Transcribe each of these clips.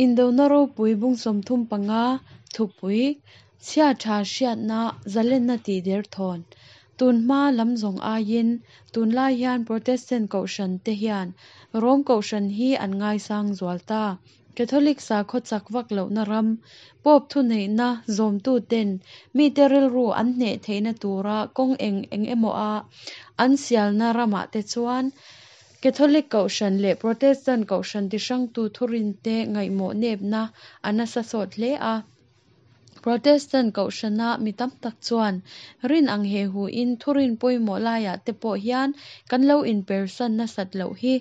Indona ropui bung 35 thupui chhia tha hriatna zalenna tih der thawn. Tun hma lam zawng aiin tunlai hian Protestant kohhran te hian Rom kohhran hi an ngaisang zual ta. Catholic sakhaw chak vak lohna ram, Pope thuneihna zawmtuten mite rilru an hneh theihna tura kawng eng eng emaw a an sialna ramah te chuan Catholic kohhran leh Protestant kohhran tihrangtu thurinte ngaihmawh nepna a nasa sawt hle a. Protestant kohhrana mi tam tak chuan rin ang he huin thurin pawimawh laiah te pawh hian kan lo inpersan nasat loh hi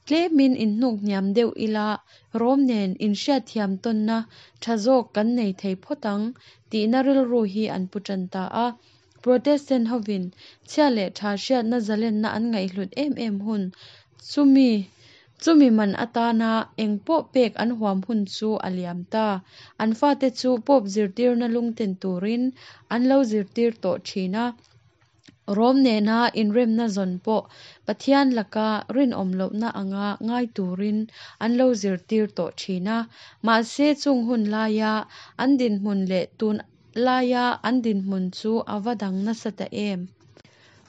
tlemin inhnuk hniam deuh ila Rom nen inhriatthiam tawnna tha zawk kan nei thei phawt ang tihna rilru hi an pu tan ta a. Protestant hovin chhia leh tha hriatna zalenna an ngaihhlut em em hun chumi chumi man atana eng pawh pek an huam hun chu a liam ta. An fate chu Pope zirtirna lungten turin an lo zirtir tawh thin a. Rom nena inremna zawn pawh Pathian laka rinawm lohna anga ngai turin an lo zirtir tawh thin a. Mahse chung hun laia an dinhmun leh tun laia an dinhmun chu a va dang nasa ta em.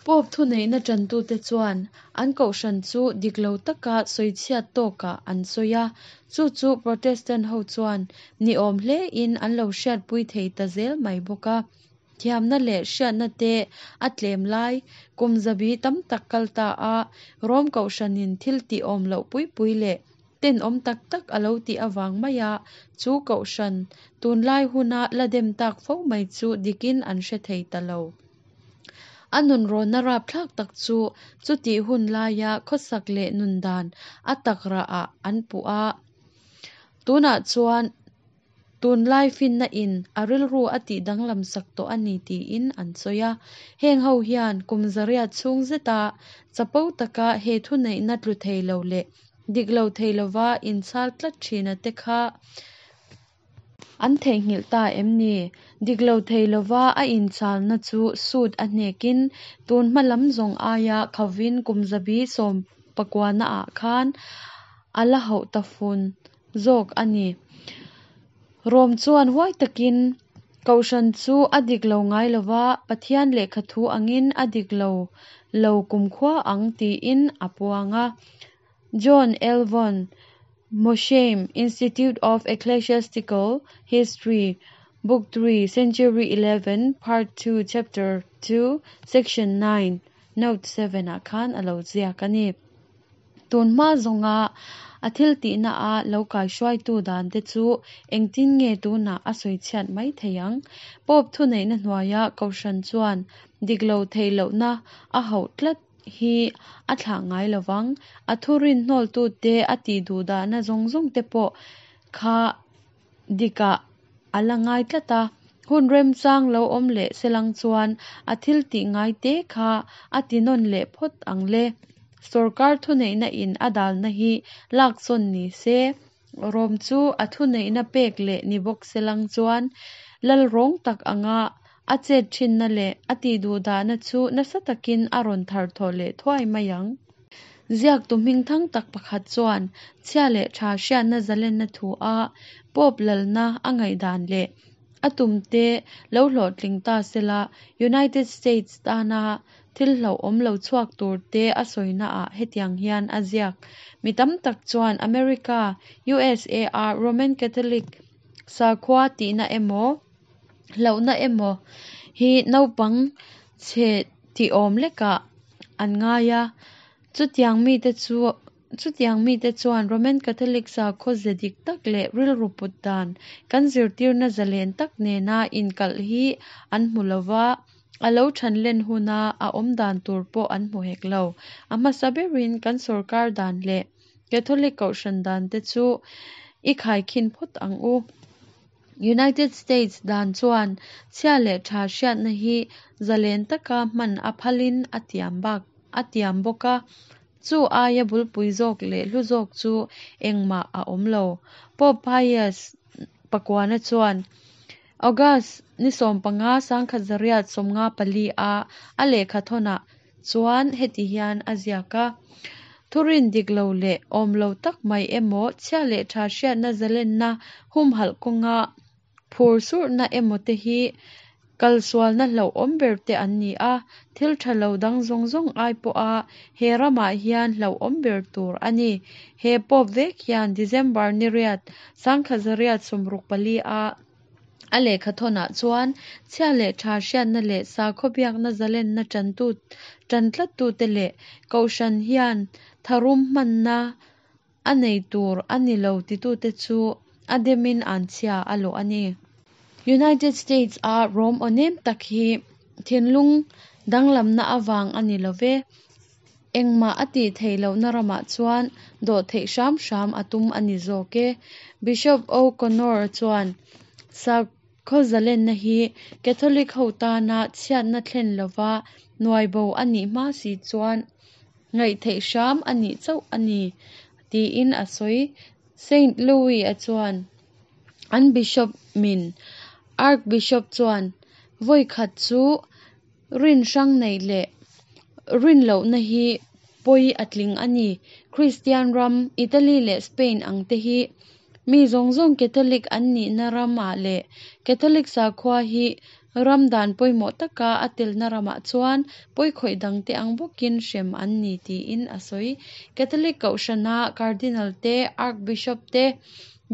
Pope thuneihna tantute chuan an kohhran chu dik lo taka sawichhiat tawkah an sawi a, chu chu Protestant ho chuan ni awm hlein an lo hriatpui thei ta zel mai bawk a. Thiamna leh hriatna te a tlem lai kum zabi tam tak kal ta a, Rom kohhranin thil tih awm loh pui pui leh tenawm tak tak a lo tih avang maia chu kohhran tunlai huna la dem tak fo mai chu dikin an hre thei ta lo. A nunrawnna rapthlak tak chu chutih hun laia khawsak leh nun dan a tak rahah an puh a. Tunah chuan tunlai finna in a rilru a tih danglam sak tawh a ni tiin an sawi a. Heng ho hian kum zariat chhung zeta chapo taka he thuneihna tlu thei lo leh dik lo thei lova inchhal tlat thina te kha an theihnghilh ta em ni? Dik lo thei lova a inchhalna chu sut a hnekin tun hma lam zawng aia khovin kum zabi sawmpakuana ah khan a la hauh ta fun zawk a ni. Rom chuan huai takin kohhran chu a dik lo ngai lova Pathian lehkha thu angin a dik lo lo kumkhua ang tiin a puang a. John L. Von Mosheim, Institute of Ecclesiastical History, Book 3, Century 11, Part 2, Chapter 2, Section 9, Note 7 ah khan a lo ziak a ni. Tun hma zawnga a thil tihna a lo kaihruaitu dan te chu engtin nge tunah a sawichhiat mai thei ang. Pope thuneihna hnuaia kohhran chuan dik lo theih lohna a hauh tlat hi a thlah ngai lovang. A thurin hnawltute a tih duhdahna zawng zawng te pawh kha dikah a la ngai tlat a. Hun remchang lo awm leh selang chuan a thil tih ngai te kha a ti nawn leh phawt ang le. Sorkar thuneihna in a dalna hi lak sawn ni se. Rom chu a thuneihna pek leh ni bawk selang chuan lal rawng tak anga a chet thinna leh a tih duhdahna chu nasa takin a rawn thar thawh leh thuai mai ang. Ziaktu hmingthang tak pakhat chuan chhia leh tha hriatna zalenna thu a Pope lalna a ngaihdan leh a tumte lo hlawhtling ta sela United States tana thil hlauhawm lo chhuak tur te a sawina ah hetiang hian a ziak. Mi tam tak chuan America, USA a Roman Catholic sakhua tihna emaw hlauhna emaw hi naupang chhe tih awm lekah an ngai a. Chutiang mite chu chutiang mite chuan Roman Catholic sakhaw ze dik tak leh rilru put dan kan zirtirna zalen tak nena inkalh hi an hmu lova a lo than len huna a awm dan tur pawh an hmu hek lo. A hmasa berin kan sorkar dan leh Catholic kohhran dan te chu i khaikhin phawt ang u. United States dan chuan chhia leh tha hriatna hi zalen taka hman a phalin a tiam bak a tiam bawk a. Chu aia bulpui zawk leh hlu zawk chu engmah a awm lo. Pope Pius pakuana chuan August ni 15 1954 a a lehkha thawnah chuan heti hian a ziak a. Thurin dik lo leh awm lo tak mai emaw, chhia leh tha hriatna zalenna humhalh kawnga phur surhna emaw te hi kalsualna hlauhawm ber te an ni a, thil tha lo dang zawng zawng ai pawha he ramah hian hlauhawm ber tur a ni. He Pope vek hian December ni riat, 1864 a a lehkhathawnah chuan chhia leh tha hriatna leh sakhaw biakna zalenna tantu tan tlattute leh Kohhran hian tharum hmanna a nei tur a ni lo titute chu a demin anchhia a lawh a ni. United States a Rom aw nem tak hi thinlung danglamna avang a ni lo ve. Engmah a tih theih lohna ramah chuan dawhtheih hram hram a tum a ni zawk e. Bishop O'Connor chuan sakhaw zalenna hi Catholic ho tana chhiatna thlen lova nuaibo a nih hma si chuan ngaihtheih hram a nih chauh a ni tiin a sawi. Saint Louis-a chuan an Bishop min Archbishop chuan vawi khat chu rin hrang neih leh rin lohna hi pawi a tling a ni. Kristian ram, Italy leh Spain ang te hi mi zawng zawng Catholic an nihna ramah leh Catholic sakhua hi ram dan pawimawh taka a telna ramah chuan pawikhawih dangte ang bawkin hrem an ni tiin a sawi. Catholic Kohhrana Cardinal te, Archbishop te,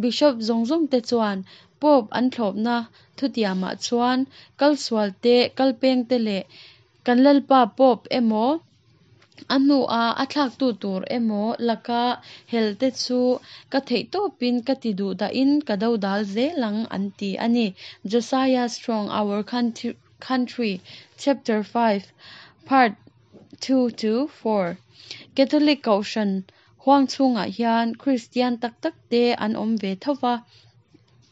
Bishop zawng zawng te chuan Pope an thlawpna thutiamah chuan kalsual te, kalpeng te leh kan Lalpa Pope emaw, a hnua a thlaktu tur emaw laka hel te chu ka theihtawpin ka ti duhdahin ka dodal zel ang an ti a ni. Josiah Strong, Our Country, Chapter 5, Part 2-4 Catholic Kohhran huang chhungah hian Kristian tak tak te an awm ve tho va.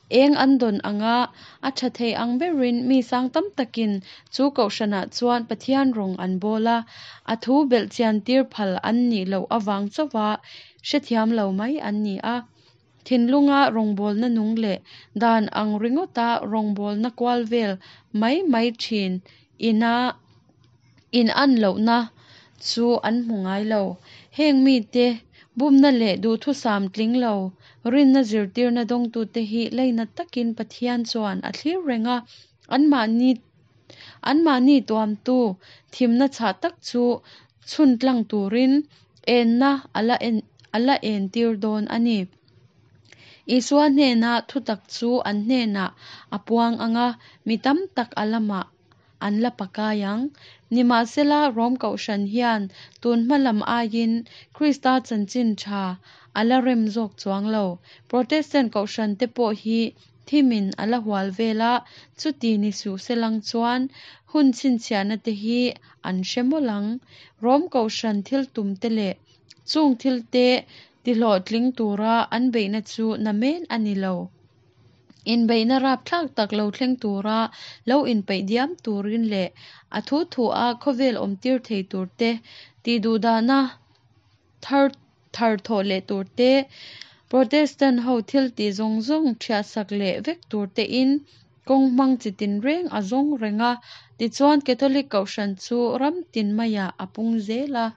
Eng an dawn anga a tha thei ang berin mi sang tam takin chu kohhranah chuan Pathian rawng an bawl a, a thu belhchian tir phal an nih loh avang chauha hrethiam lo mai an ni a. Thinlunga rawngbawlna nung leh dan ang ringawta rawngbawlna kual vel mai mai thin ina in an lohna chu an hmu ngai lo. Heng mite bumna leh duhthusam tling lo rinna zirtirna dawngtute hi lainat takin Pathian chuan a thlir reng a, anmahni anmahni tuamtu thimna chhah tak chu chhun tlang turin enna a la en a la entir dawn a ni. Isua hnena thutak chu an hnenah a puang anga, mi tam tak a lamah an la pakai ang. Nimahsela, Rom Kohhran hian tun hma lam aiin Krista chanchin tha a la rem zawk chuang lo. Protestant Kohhran te pawh hi thimin a la hual vel a, chuti ni suh selang chuan hun chhinchhiahna te hi an hre mawlh ang. Rom Kohhran thil tum te leh chung thil te tihlawhtling tura an beihna chu namen a ni lo. Inbeihna rapthlak tak lo thleng tura lo inpeih diam turin leh a thu thu a khawvel awm tir thei tur te, tihduhdahna thar thar thawh leh tur te, Protestant ho thil tih zawng zawng thiahsak leh vek tur te in kawng hmang chitin reng a zawng reng a, tichuan Catholic Kohhran chu ram tin maiah a pung zel a.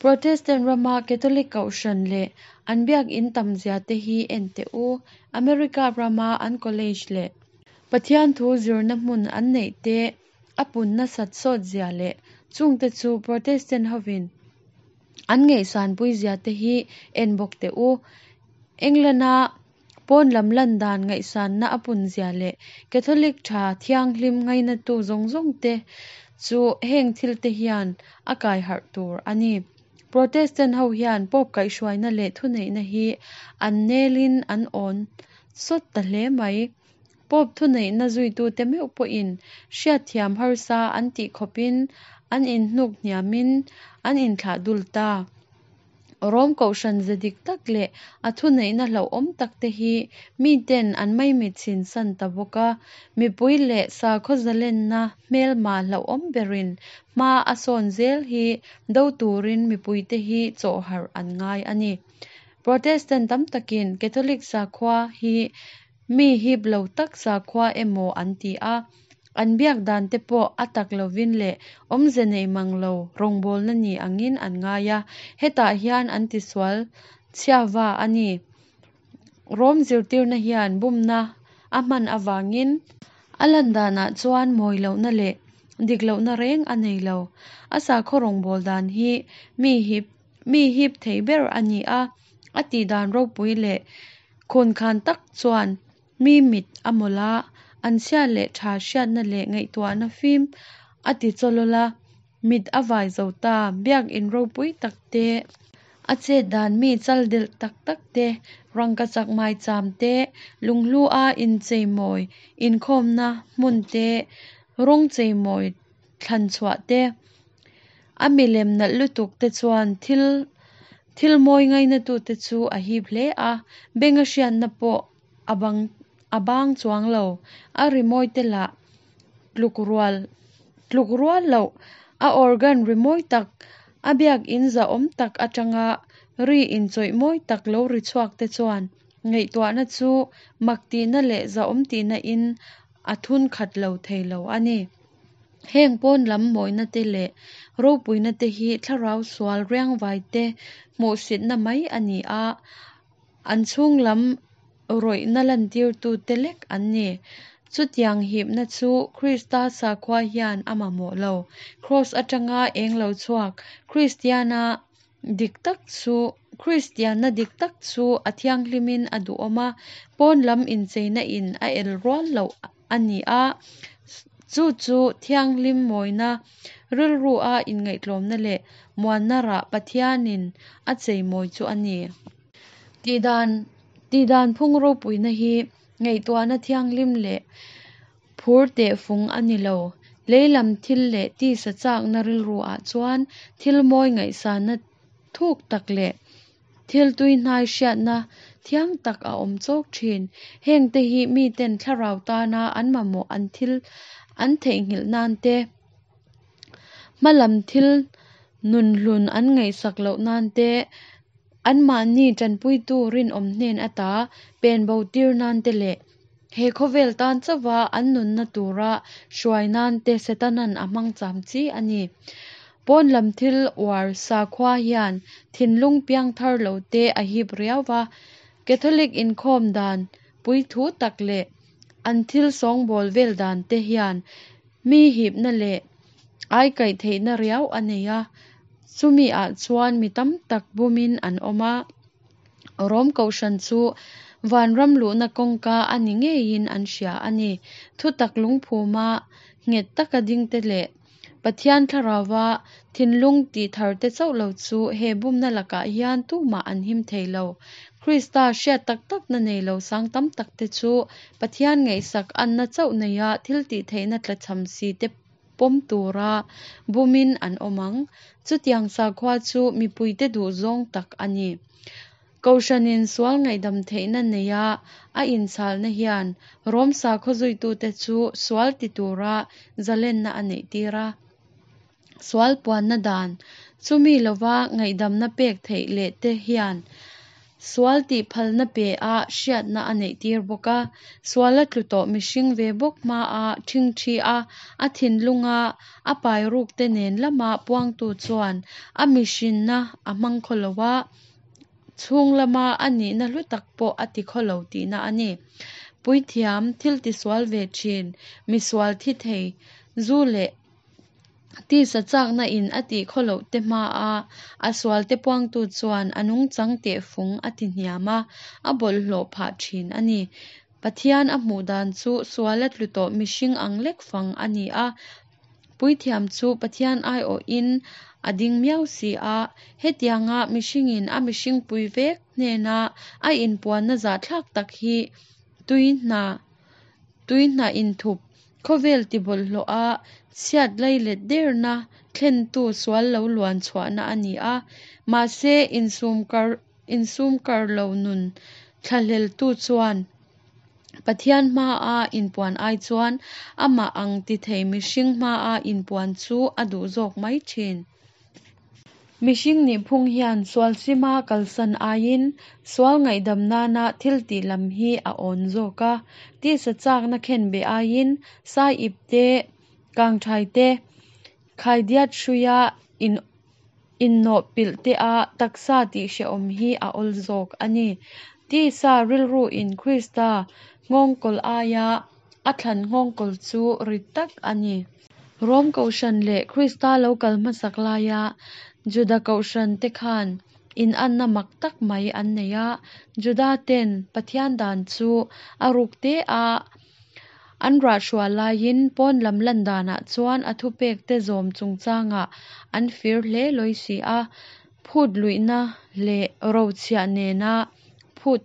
Protestant rama Catholic Kohhran leh an biak in tam zia te hi en teh u. America rama an college leh Pathian thu zirna hmun an neih te a pun nasat sawt zia leh chungte chu Protestant hovin an ngaihsan pui zia te hi en bawk teh u. England-a pawn lam lan dan ngaihsanna a pun zia leh Catholic tha thianghlim ngainatu zawng zawng te chu heng thil te hian a kai harh tur a ni. Protestant ho hian Pope kaihhruaina leh thuneihna hi an nelin an awn sawt ta hle mai. Pope thuneihna zuitute meuh pawhin hriatthiam harsa an tih khawpin an inhnuk hniamin an inthlah dul ta. Rom Kohhran ze dik tak leh a thuneihna hlauhawm tak te hi miten an maimit chhin san ta bawk a, mipui leh sakhaw zalenna hmelma hlauhawm berin hma a sawn zel hi do turin mipuite hi chawh harh an ngai a ni. Protestant tam takin Catholic sakhua hi mi hip lo tak sakhua emaw an ti a. An biak dan te pawh a tak lovin leh awmze nei mang lo rawngbawlna ni angin an ngai a, hetah hian an tisual chhiava a ni. Rom zirtirna hian bumna a hman avangin a lan danah chuan mawi lohna leh dik lohna reng a nei lo. A sakhaw rawngbâwl dan hi mi hip mi hip thei ber a ni a, a tih dan ropui leh khunkhan tak chuan mi mit a mawlh a, an chhia leh tha hriatna leh ngaihtuahna fim a ti chawlawl a, mit a vai zo ta. Biakin ropui tak te, a chet dan mi chal delh tak tak te, rangkachak maicham te, lunghlu a incheimawi inkhawmna hmun te, rawng cheimawi thlan chhuah te, a milem nalh lutuk te chuan thil thil mawi ngainatute chu a hip hle a, benga hriatna pawh a bang a bang chuang lo. A rimawi te lah tluk rual tluk rual loh a organ rimawi tak, a biakin zahawm tak atanga ri inchawih mawi tak lo ri chhuak te chuan ngaihtuahna chu mak tihna leh zahawm tihna in a thun khat lo thei lo a ni. Heng pawn lam mawina te leh ropuina te hi thlarau sual riangvai te hmuhsitna mai a ni a, an chhung lam rawihna lantirtu te lek an ni. Chutiang hipna chu Krista sakhua hian a mamawh lo. Kraws atanga eng lo chhuak Kristiana dik tak chu Kristianna dik tak chu a thianghlimin a duhawm a, pawn lam incheina in a el rual loh a ni a, chu chu thianghlim mawina, rilru a inngaihtlawmna leh muanna rah Pathianin a cheimawi chu a ni. Tihdan tihdan phung ropuina hi ngaihtuahna thianghlim leh phur tehfung a ni lo. Lei lam thil leh tisa chakna rilru ah chuan thil mawi ngaihsanna thuk tak leh thil tuihnai hriatna thiang tak a awm chawk thin. Heng te hi miten thlarau tana an mamawh an thil an theihnghilh nan te, hmalam thil nunhlun an ngaihsak loh nan te, anmahni tanpuitu rinawm hnen ata pen bo tir nan te leh he khawvel tan chauha an nunna tura hruai nan te Setanan a hmang cham chi a ni. Pawn lam thil uar sakhua hian thinlung piangthar lo te a hip riau va, Catholic inkhawm dan puithu tak leh an thil sawngbawl vel dan te hian mi hipna leh aikaih theihna riau a nei a, chumi ah chuan mi tam tak bumin an awm a. Rom kohhran chu vanram luhna kawngka a ni ngeiin an hria a ni. Thutak lungphuma nghet taka dingte leh Pathian thlarauva thinlung tihthar te chauh lo chu he bumna lakah hian tumah an him thei lo. Krista hriat tak takna nei lo sang tam tak te chu Pathian ngaihsak anna chauh neia thil tihtheihna tlachham si te pawm tura bumin an awm ang. Chutiang sakhua chu mipuite duhzawng tak a ni. Kohhranin sual ngaihdam theihna neia a inchhalna hian Rom sakhaw zuitute chu sual ti tura zalenna a neihtir a. Sual puanna dan, chumi lova ngaihdamna pek theih leh te hian sual tih phalna pe a hriatna a neihtir bawk a. Suala tlu tawh mihring ve bawk hmaa ṭhingṭhi a, a thinlunga a pai ruk te nen lama puangtu chuan a mihrinna a hmang khaw lo a, chhung lama a nihna hlu tak pawh a ti khaw lo tihna a ni. Puithiam, thil tisual ve thin, misual thi thei, zu leh tisa chakna in a tih khaw loh te hmaa a sual te puangtu chuan a nungchang tehfung a ti hniam a, a bawlhhlawh phah thin a ni. Pathian a hmuh dan chu sual a tlu tawh mihring ang lek fang a ni a, Puithiam chu Pathian aiawhin a ding miau si a, hetianga mihringin a mihringpui vek hnena a inpuanna zahthlak tak hi tui hna tui hna inthup khawvel tibawlhhlawh a chhiat leilet derna thlentu sual lo luan chhuahna a ni a, mahse insum kar insum kar lo nun thlahleltu chuan Pathian hmaa inpuan ai chuan amah ang ti thei mihring hmaa inpuan chu a duh zawk mai thin. Mihring nihphung hian sual sima kalsan aiin sual ngaihdam nana thil tih lam hi a awn zawk a. Tisa châkna khenbeh aiin sai ip te, kangthai te, khaidiat hruia innawh pilh te a taksa tihhrehawm hi a awl zawk a ni. Tisa rilruin Krista nghawngkawl aia a thlan nghawngkawl chu rit tak a ni. Rom Kohhran leh Krista lo kal hmasak laia Juda Kohhran te khan inanna mak tak mai an nei a. Juda ten Pathian dan chu a ruk te a an rahhrual laiin pawn lam lan danah chuan a thupekte zawm chungchangah an fir hle lawi si a. Phut luihna leh rochhiah nena phut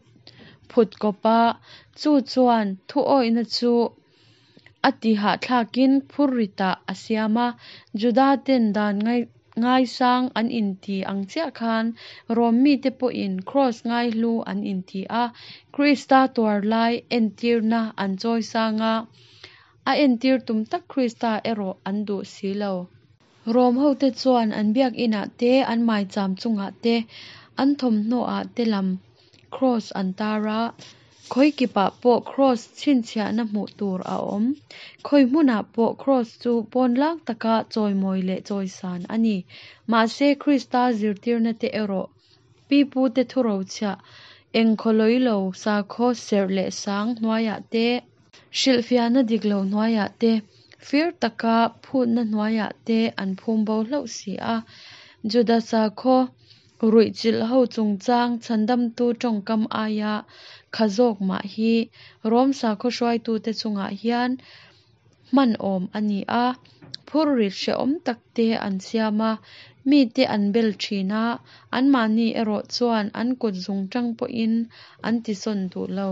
phut kawp a, chu chuan thuawihna chu a ti hahthlakin phurritah a siam a. Juda ten dan ngaisang an inti ang chiah khan Rom mite pawhin kraws ngaihlu an inti a, Krista tuar lai entirna an chawisang a, a entir tum tak Krista erawh an duh si lo. Rom hote chuan an biak inah te, an maicham chungah te, an thawmhnaw ah te lam kraws an tar a. Khawi kipah pawh kraws chhinchhiahna hmuh tur a awm. Khawi hmunah pawh kraws chu pawnlang taka chawimawi leh chawisan a ni. Mahse Krista zirtirna te erawh pipute thurochhiah engkhawlawi lo sakhaw serh leh sang hnuaiah te, hrilhfiahna dik lo hnuaiah te, fir taka phutna hnuaiah te an phum bo hlauh si a. Juda sakhaw ruihchilh ho chungchang chhandamtu tawngkam aia kha zawk mah hi Rom sakhaw hruaitute chungah hian hman awm a ni a, phurrit hrehawm tak te an siam a, mite an bel thin a, anmahni erawh chuan an kut zungtang pawhin an tisawn duh lo.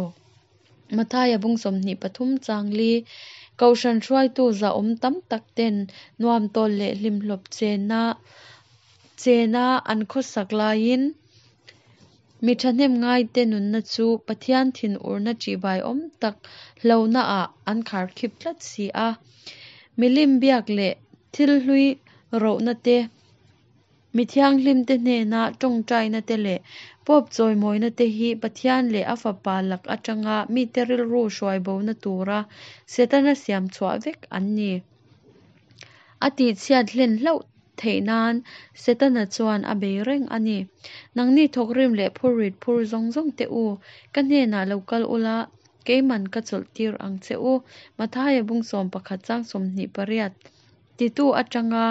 Mathaia bung 23 chang li, Kohhran hruaitu zahawm tam tak ten nuam tawl leh hlimhlawp chena chena an khawsak laiin mi thahnem ngaite nunna chu Pathian thinurna ṭihbaiawm tak hlauhnaah an kharkhip tlat si a. Milim biak leh thil hlui rohna te, mi thianghlimte hnena tawngtaina te leh Pope chawimawina te hi Pathian leh a Fapa lak atanga mite rilru hruaibona tura Setana siam chhuah vek an ni. A tihchhiat hlen hlauh theih nan Setana chuan a bei reng a ni. Nangni thawkrim leh phurrit phur zawng zawng te u, ka hnenah lo kal ula, keiman ka chawlhtir ang che u. Mathaia bung 11 chang 28 titu atanga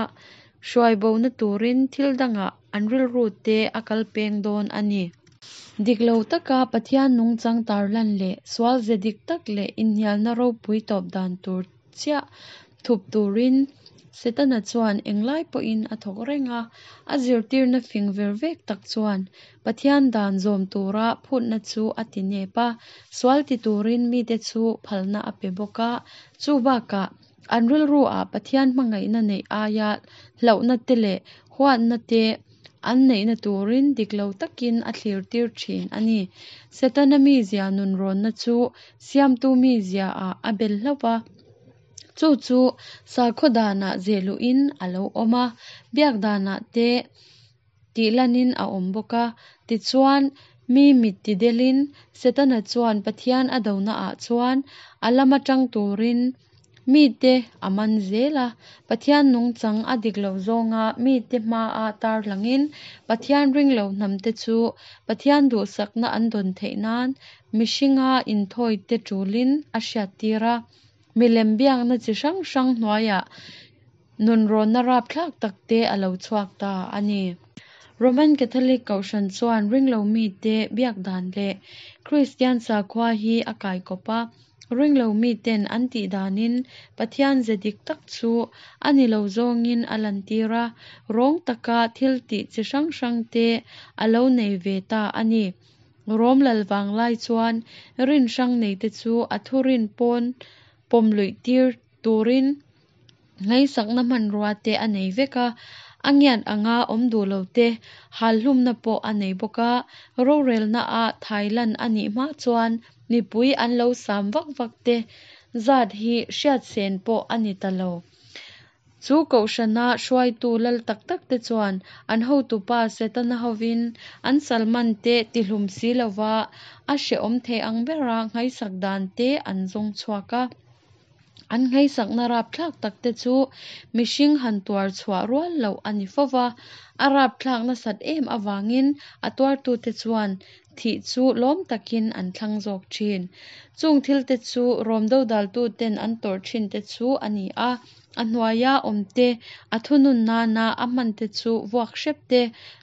hruaibona turin thil dangah an rilru te a kal peng dawn a ni. Dik lo taka Pathian nungchang tarlan leh sual ze dik tak leh inhnialna ropui tawp dan tur chiah thup turin Setana chuan englai pawhin a thawk reng a. A zirtirna fing ver vek tak chuan Pathian dan zawm tura phutna chu a ti nep a, sual ti turin mite chu phalna a pe bawk a. Chu bakah an rilruah Pathian hmangaihna neih aia hlauhna te leh huatna te an neihna turin dik lo takin a thlirtir thin a ni. Setana mizia nunrawnna chu siamtu miziaah a bel hlauh va, chu chu sakhaw danah zehluhin a lo awm a, biak danah te tihlanin a awm bawk a. Tichuan, mi mit tidelin Setana chuan Pathian a donaah chuan a lama tang turin mite a man zel a. Pathian nungchang a dik lo zawnga mite hmaa tarlangin Pathian ringlo hnamte chu Pathian duhsakna an dawn theih nan mihringa inthawite tulin a hriattir a. Milem biakna chi hrang hrang hnuaiah nunrawnna rapthlak takte a lo chhuak ta a ni. Roman Catholic Kohhran chuan ringlo mite biak dan leh Kristian sakhua hi a kaikawp a. Ringlo miten an tih danin Pathian ze dik tak chu a ni lo zawngin a lantir a, rawng taka thil tih chi hrang hrangte a lo nei ve ta a ni. Rom lal vanglai chuan rin hrang neite chu a thurin pawn pawm luih tir turin ngaihsakna hmanrua te a nei vek a, a ngiat anga awm duh lo te hal hlumna pawh a nei bawk a. Rorelna a thailan a nih hma chuan mipui an lo sam vak vak te zat hi hriat sen pawh a ni ta lo. Chu kohhrana hruaitu lal tak takte chuan an hotupa Setana hovin an sal mante tihlum si lova a hrehawm thei ang bera nghaisak dante an zawng chhuak a. An nghaisakna rapthlak takte chu mihring han tuar chhuah rual loh a ni fo va, a rapthlak nasat em avangin a tuartute chuan thih chu lawm takin an thlang zawk thin. Chung thilte chu Rom dodaltuten an tawrh thinte chu a ni a, a hnuaia awmte a thunun nana a hmante chu vuak hrep te,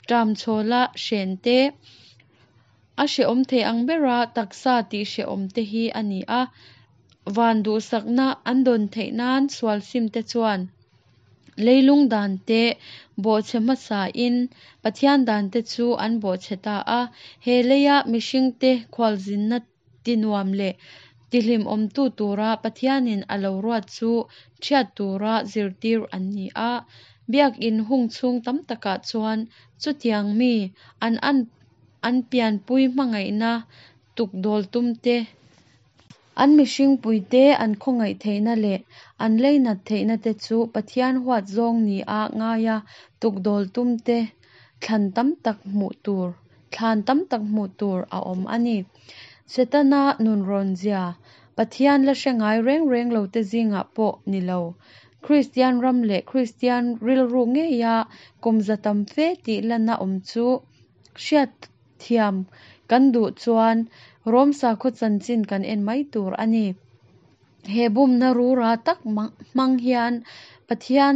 ṭamchhawla hren te, a hrehawm thei ang bera taksa tih hrehawm te hi a ni a. Van duhsakna an dawn theih nan sual sim te chuan leilung dan te bawhchhe hmasain Pathian dan te chu an bawhchhe ta a. He leia mihringte khualzinna tinuam leh tihlimawmtu tura Pathianin a lo ruat chu ṭhiat tura zirtir an ni a. Biakin hung chhung tam takah chuan chutiang mi an an pianpui hmangaihna tukdawl tum te, An mihringpuite an khawngaih theihna leh an leinat theihna te chu Pathian huat zawng nia ngaia tukdawl tumte thlan tam tak hmuh tur thlan tam tak hmuh tur a awm a ni. Setana nunrawn zia Pathian la hre ngai reng reng lote zingah pawh ni lo, Kristian ram leh Kristian rilru ngeia kum za tam fe tih lana awm chu hriat Thiam kan duh chuan Rom sakhaw chanchin kan en mai tur a ni. He bumna rura tak hmang hian Pathian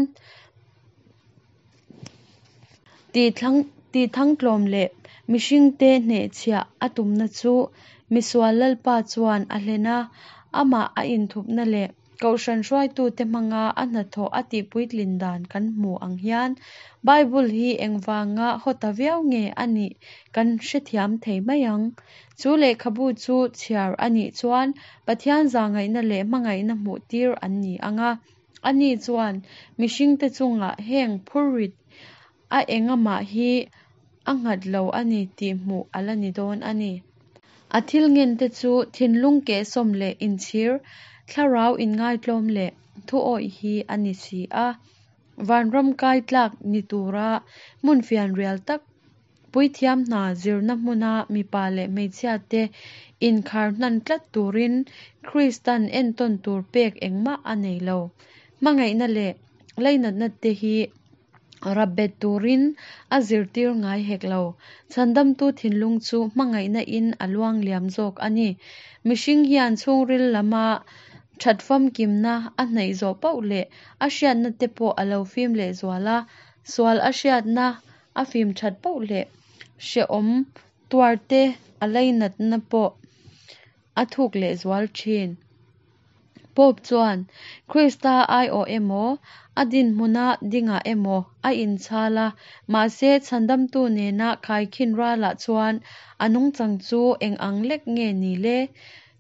tihthangtlawm leh mihringte hnehchhiah a tumna chu misual Lalpa chuan a hlen a, amah a inthupna leh Kohhran hruaitute hmanga a hnathawh a tihpuitlin dan kan hmu ang hian Bible hi engvanga haw ta viau nge a nih kan hrethiam thei mai ang. Chu lehkhabu chu chhiar a nih chuan Pathian zahngaihna leh hmangaihna hmuhtir an ni ang a, ani chuan mihringte chungah heng phurrit a engamah hi a nghat lo a ni tih hmuh a la ni dawn a ni. A thil ngente chu thinlung kehsawm leh inchhir, thlarau inngaitlawm leh thuawih hi a ni si a. Vanram kai tlak ni tura hmun fianrial tak, puithiam hna zirna hmuna mipa leh hmeichhiate inkhar hnan tlat turin Kristan entawn tur pek engmah a nei lo. Hmangaihna leh leinatna te hi Rapbet turin a zirtir ngai hek lo. Chhandamtu thinlung chu hmangaihna in a luang liam zawk a ni. Mihring hian chhungril lama that famkimna a hnaih zawh poh leh a hriatna te pawh a lo fim leh zual a, sual a hriatna a fim that poh leh hrehawm tuarte a lainatna pawh a thuk leh zual thin. Pope chuan Krista aiawh emaw, a dinhmuna dingah emaw a inchhal a, mahse chhandamtu nena khaikhin ralah chuan a nungchang chu eng ang lek nge ni le?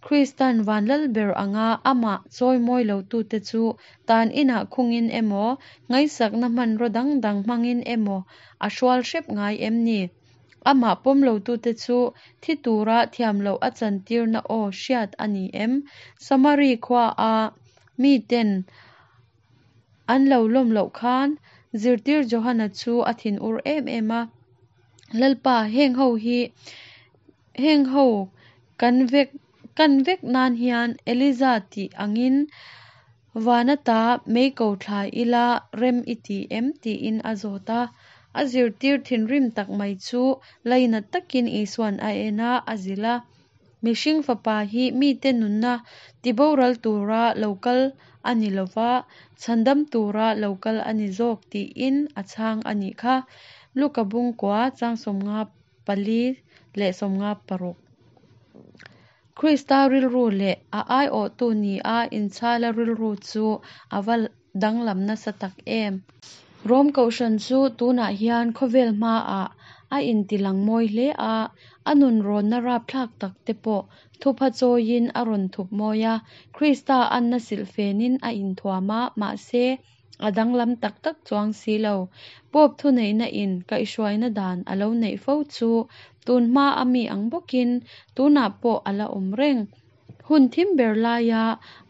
Kristan van lal ber anga amah chawimawi lotute chu tan inah khungin emaw, ngaihsakna hmanraw dang dang hmangin emaw a hrual hrep ngai em ni? Amah pawm lotute chu thi tura thiam loh a chantirna aw hriat a ni em? Samari khuaa miten an lo lawm loh khan zirtir Johana chu a thinur em em a, Lalpa, heng ho hi heng ho kan vek kan vek nan hian Eliza tih angin Van ata mei ko thla ila rem i ti em? tiin a zawt a. A zirtir thinrim tak mai chu lainat takin Isua'n a en a, a zilh a. Mihring Fapa hi mite nunna tiboral tura lo kal a ni lo va, chhandam tura lo kal a ni zawk tiin a chhang a nih kha. Luka bungkua chang 54 leh 56. Krista rilru leh a aiawhtu nia inchhala rilru chu a va danglam nasa tak em! Rom Kohhran chu tunah hian khawvel hmaah a intilang mawi hle a, a nunrawnna rapthlak tak te pawh thupha chawiin a rawn thup mawi a, Krista anna silhfenin a inthuam a, mahse, a danglam tak tak chuang si lo. Pope thuneihna in kaihhruaina dan a lo neih fo chu tun hma a mi ang bawkin tunah pawh a la awm reng. Hun thim ber laia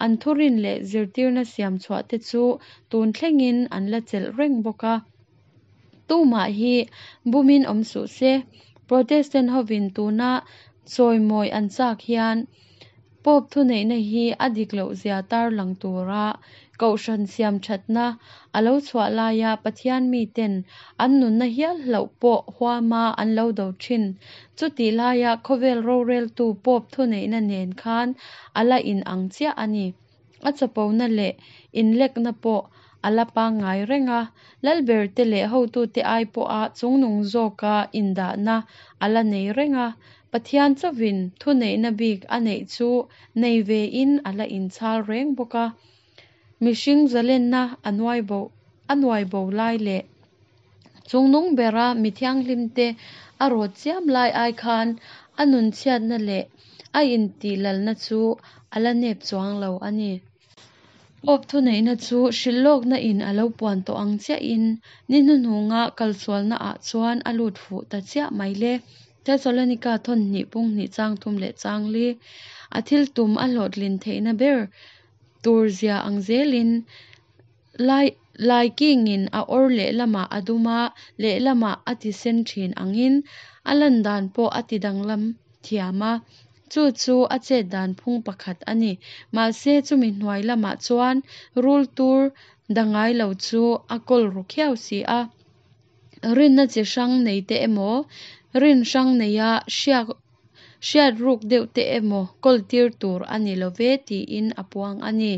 an thurin leh zirtirna siam chhuahte chu tun thlengin an la chelh reng bawk a. Tumah hi bumin awm suh se. Protestant hovin tuna chawimawi an chak hian Pope thuneihna hi a dik lohzia tarlang tura Kohhran siamthatna a lo chhuah laia Pathian miten an nunna hial hlauh pawh huama an lo do thin. Chutih laia khawvel roreltu Pope thuneihna nen khan a la inang chiah a ni. A chapona leh inlekna pawh a la pangngai reng a, lalberte leh hotute ai pawha chungnung zawka indahna a la nei reng a, Pathian chauhin thuneihna bik a neih chu nei vein a la inchhal reng bawk a. Mihring zalenna a nuai bo a nuai bo lai leh chungnung bera mi thianghlimte a rawt chiam lai ai khan a nunchhiatna leh a intihlalna chu a la nep chuang lo a ni. Pope thuneihna chu hrilhlawkna in a lo puan tawh ang chiahin ni hnuhnunga kalsualna ah chuan a lut fuh ta chiah mai le. Thesalonika thawn hnih pung hnih chang thum leh chang li a thil tum a hlawhtlin theihna ber tur zia ang zelin lai laikingin a awr lehlamah a dum a, lehlamah a ti sen thin angin a lan dan pawh a ti danglam thiam a, chu chu a chet dan phung pakhat a ni. Mahse chumi hnuai lamah chuan rul tur dangai lo chu a kawl ru khiau si a. Rinna chi hrang nei te emaw, rin hrang neia hriak hriat ruk deuh te emaw kawl tir tur a ni lo ve tiin a puang a ni.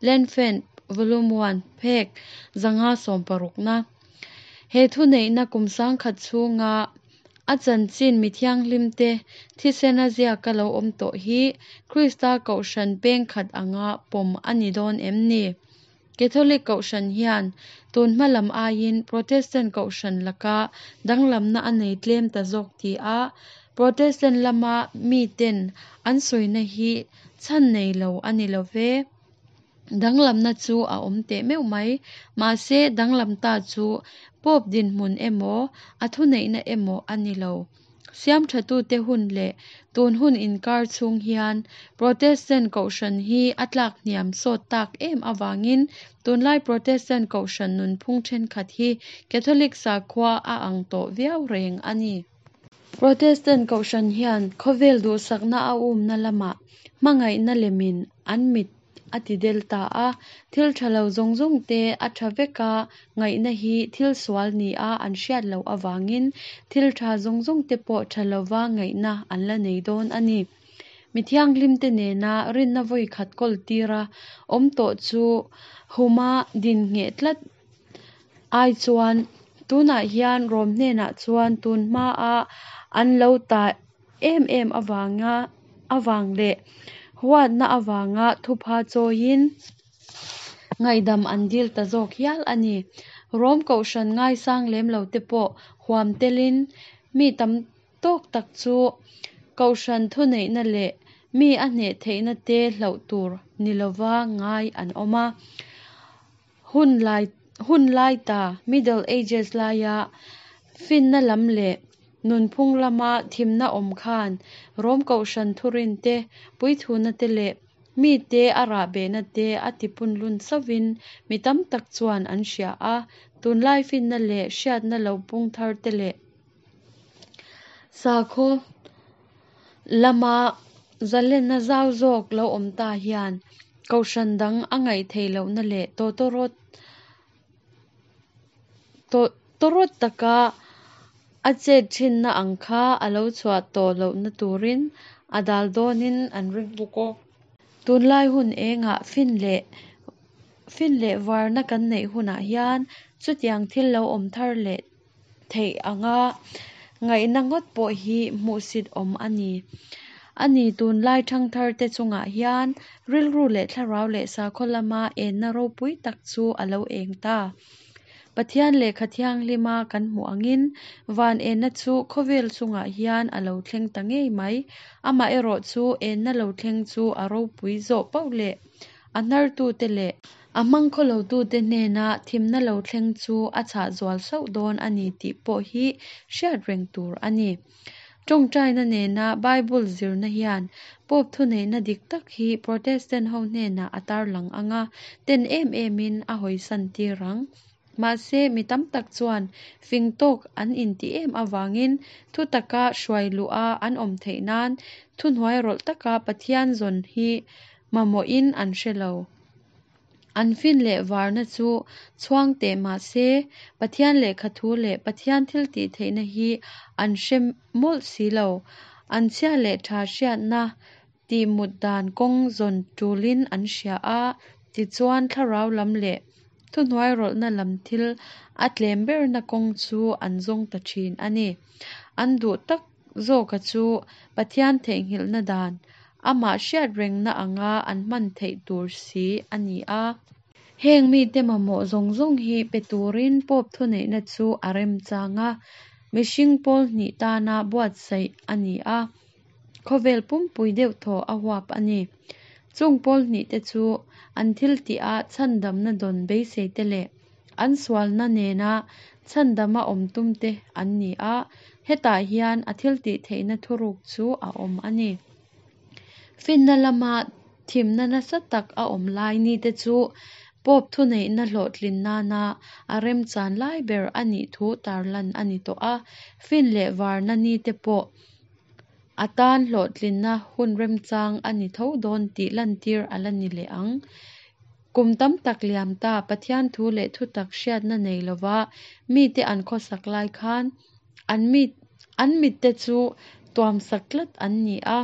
Lenfen, Volume One, phek 560 na. He thuneihna kum sangkhat chhunga a chanchin mi thianghlimte thisena ziaka lo awm tawh hi Krista Kohhran peng khat anga pawm a ni dawn em ni? Catholic Kohhran hian tun hma lam aiin Protestant Kohhran laka danglamna a nei tlem ta zawk ti a, Protestant lama miten an sawina hi chhan nei lo a ni lo ve. Danglamna chu a awm teh meuh mai. Mahse, danglam ta chu Pope dinhmun emaw, a thuneihna emaw a ni lo. Siamthatute hun leh tun hun inkar chhung hian Protestant Kohhran hi a tlak hniam sawt tak em avangin tunlai Protestant Kohhran nunphung thenkhat hi Catholic sakhua a ang tawh viau reng a ni. Protestant Kohhran hian khawvel duhsakna a umna lamah hmangaihna lemin an mit a ti del ta a, thil tha lo zawng zawng te a tha veka ngaihna hi thil sual nia an hriat loh avangin thil tha zawng zawng te pawh tha lova ngaihna an la nei dawn a ni. Mi thianghlimte nena rinna vawi khat kawl tira awm tawh chu huma din ngheh tlat ai chuan tunah hian Rom hnenah chuan tun hmaa an lo ta em em avanga avang leh huatna avanga thupha chawiin ngaihdam an dil ta zawk hial a ni. Rom Kohhran ngaisang lem lo te pawh huam telin mi tam tawk tak chu Kohhran thuneihna leh mi a hneh theihna te hlauh tur ni lova ngai an awm a. Hun lai hun lai ta, Middle Ages laia finna lam leh nunphung lama thimna awm khan Rom Kohhran thurin te, puithuna te leh mite a rahbehna te a tipunlun chauhin mi tam tak chuan an hria a. Tunlai finna leh hriatna lo pung thar te leh sakhaw lama zalenna zau zawk lo awm ta hian Kohhran dang a ngaih theih lohna leh tawtawrawt tawtawrawt taka a chet thinna ang kha a lo chhuah tawh lohna turin a dal dawnin an ring bawk a. Tunlai hun engah fin leh fin leh varna kan neih hunah hian chutiang thil lo awm thar leh theih anga ngaihna ngawt pawh hi hmuhsit awm a ni. A ni tunlai thangthar te chungah hian rilru leh thlarau leh sakhaw lama enna ropui tak chu a lo eng ta. Pathian lehkha thianghlima kan hmuh angin van enna chu khawvel chungah hian a lo thleng ta ngei mai. Amaherawhchu enna lo thleng chu a ropui zawh poh leh a hnartute leh a hmangkhawlotute hnena thimna lo thleng chu a chhah zual sauh dawn a ni tih pawh hi hriat reng tur a ni. Ṭawngṭaina nena Bible zirna hian Pope thuneihna dik tak hi Protestant ho hnenah a tarlang ang a, ten em emin a hawisan tir ang. Mahse, mi tam tak chuan fing tawk an intih em avangin thutaka hruai luha an awm theih nan thuhnuairawlh taka Pathian zawn hi mamawhin an hre lo. An fin leh varna chu chhuang teh mah se, Pathian lehkha thu leh Pathian thiltihtheihna hi an hre mawlh si lo. An chhia leh tha hriatna tihmut dan kawng zawn tulin an hria a, tichuan thlarau lam leh thuhnuairawlhna lam thil a tlem berna kawng chu an zawng ta thin a ni. An duh tak zawka chu Pathian theihnghilhna dan, amah hriat rengna anga an hman theih tur si a ni a. Heng mite mamawh zawng zawng hi pe turin Pope thuneihna chu a remchang a, mihring pawl hnih tana buatsaih a ni a, khawvel pumpui deuhthaw a huap a ni. Chung pawl hnihte chu an thiltih-a chhandamna dawn beiseite leh an sualna nena chhandama awm tumte an ni a, hetah hian a thiltihtheihna thuruk chu a awm a ni. Finna lama thimna nasa tak a awm lai nite chu Pope thuneihna hlawhtlin nana a remchan lai ber a nih thu tarlan a ni tawh a, fin leh varna nite pawh a tan hlawhtlinna hun remchang a ni tho dawn tih lantir a la ni leh ang. Kum tam tak liam ta Pathian thu leh thutak hriatna nei lova mite an khawsak lai khan an mi an mitte chu tuamsak tlat an ni a.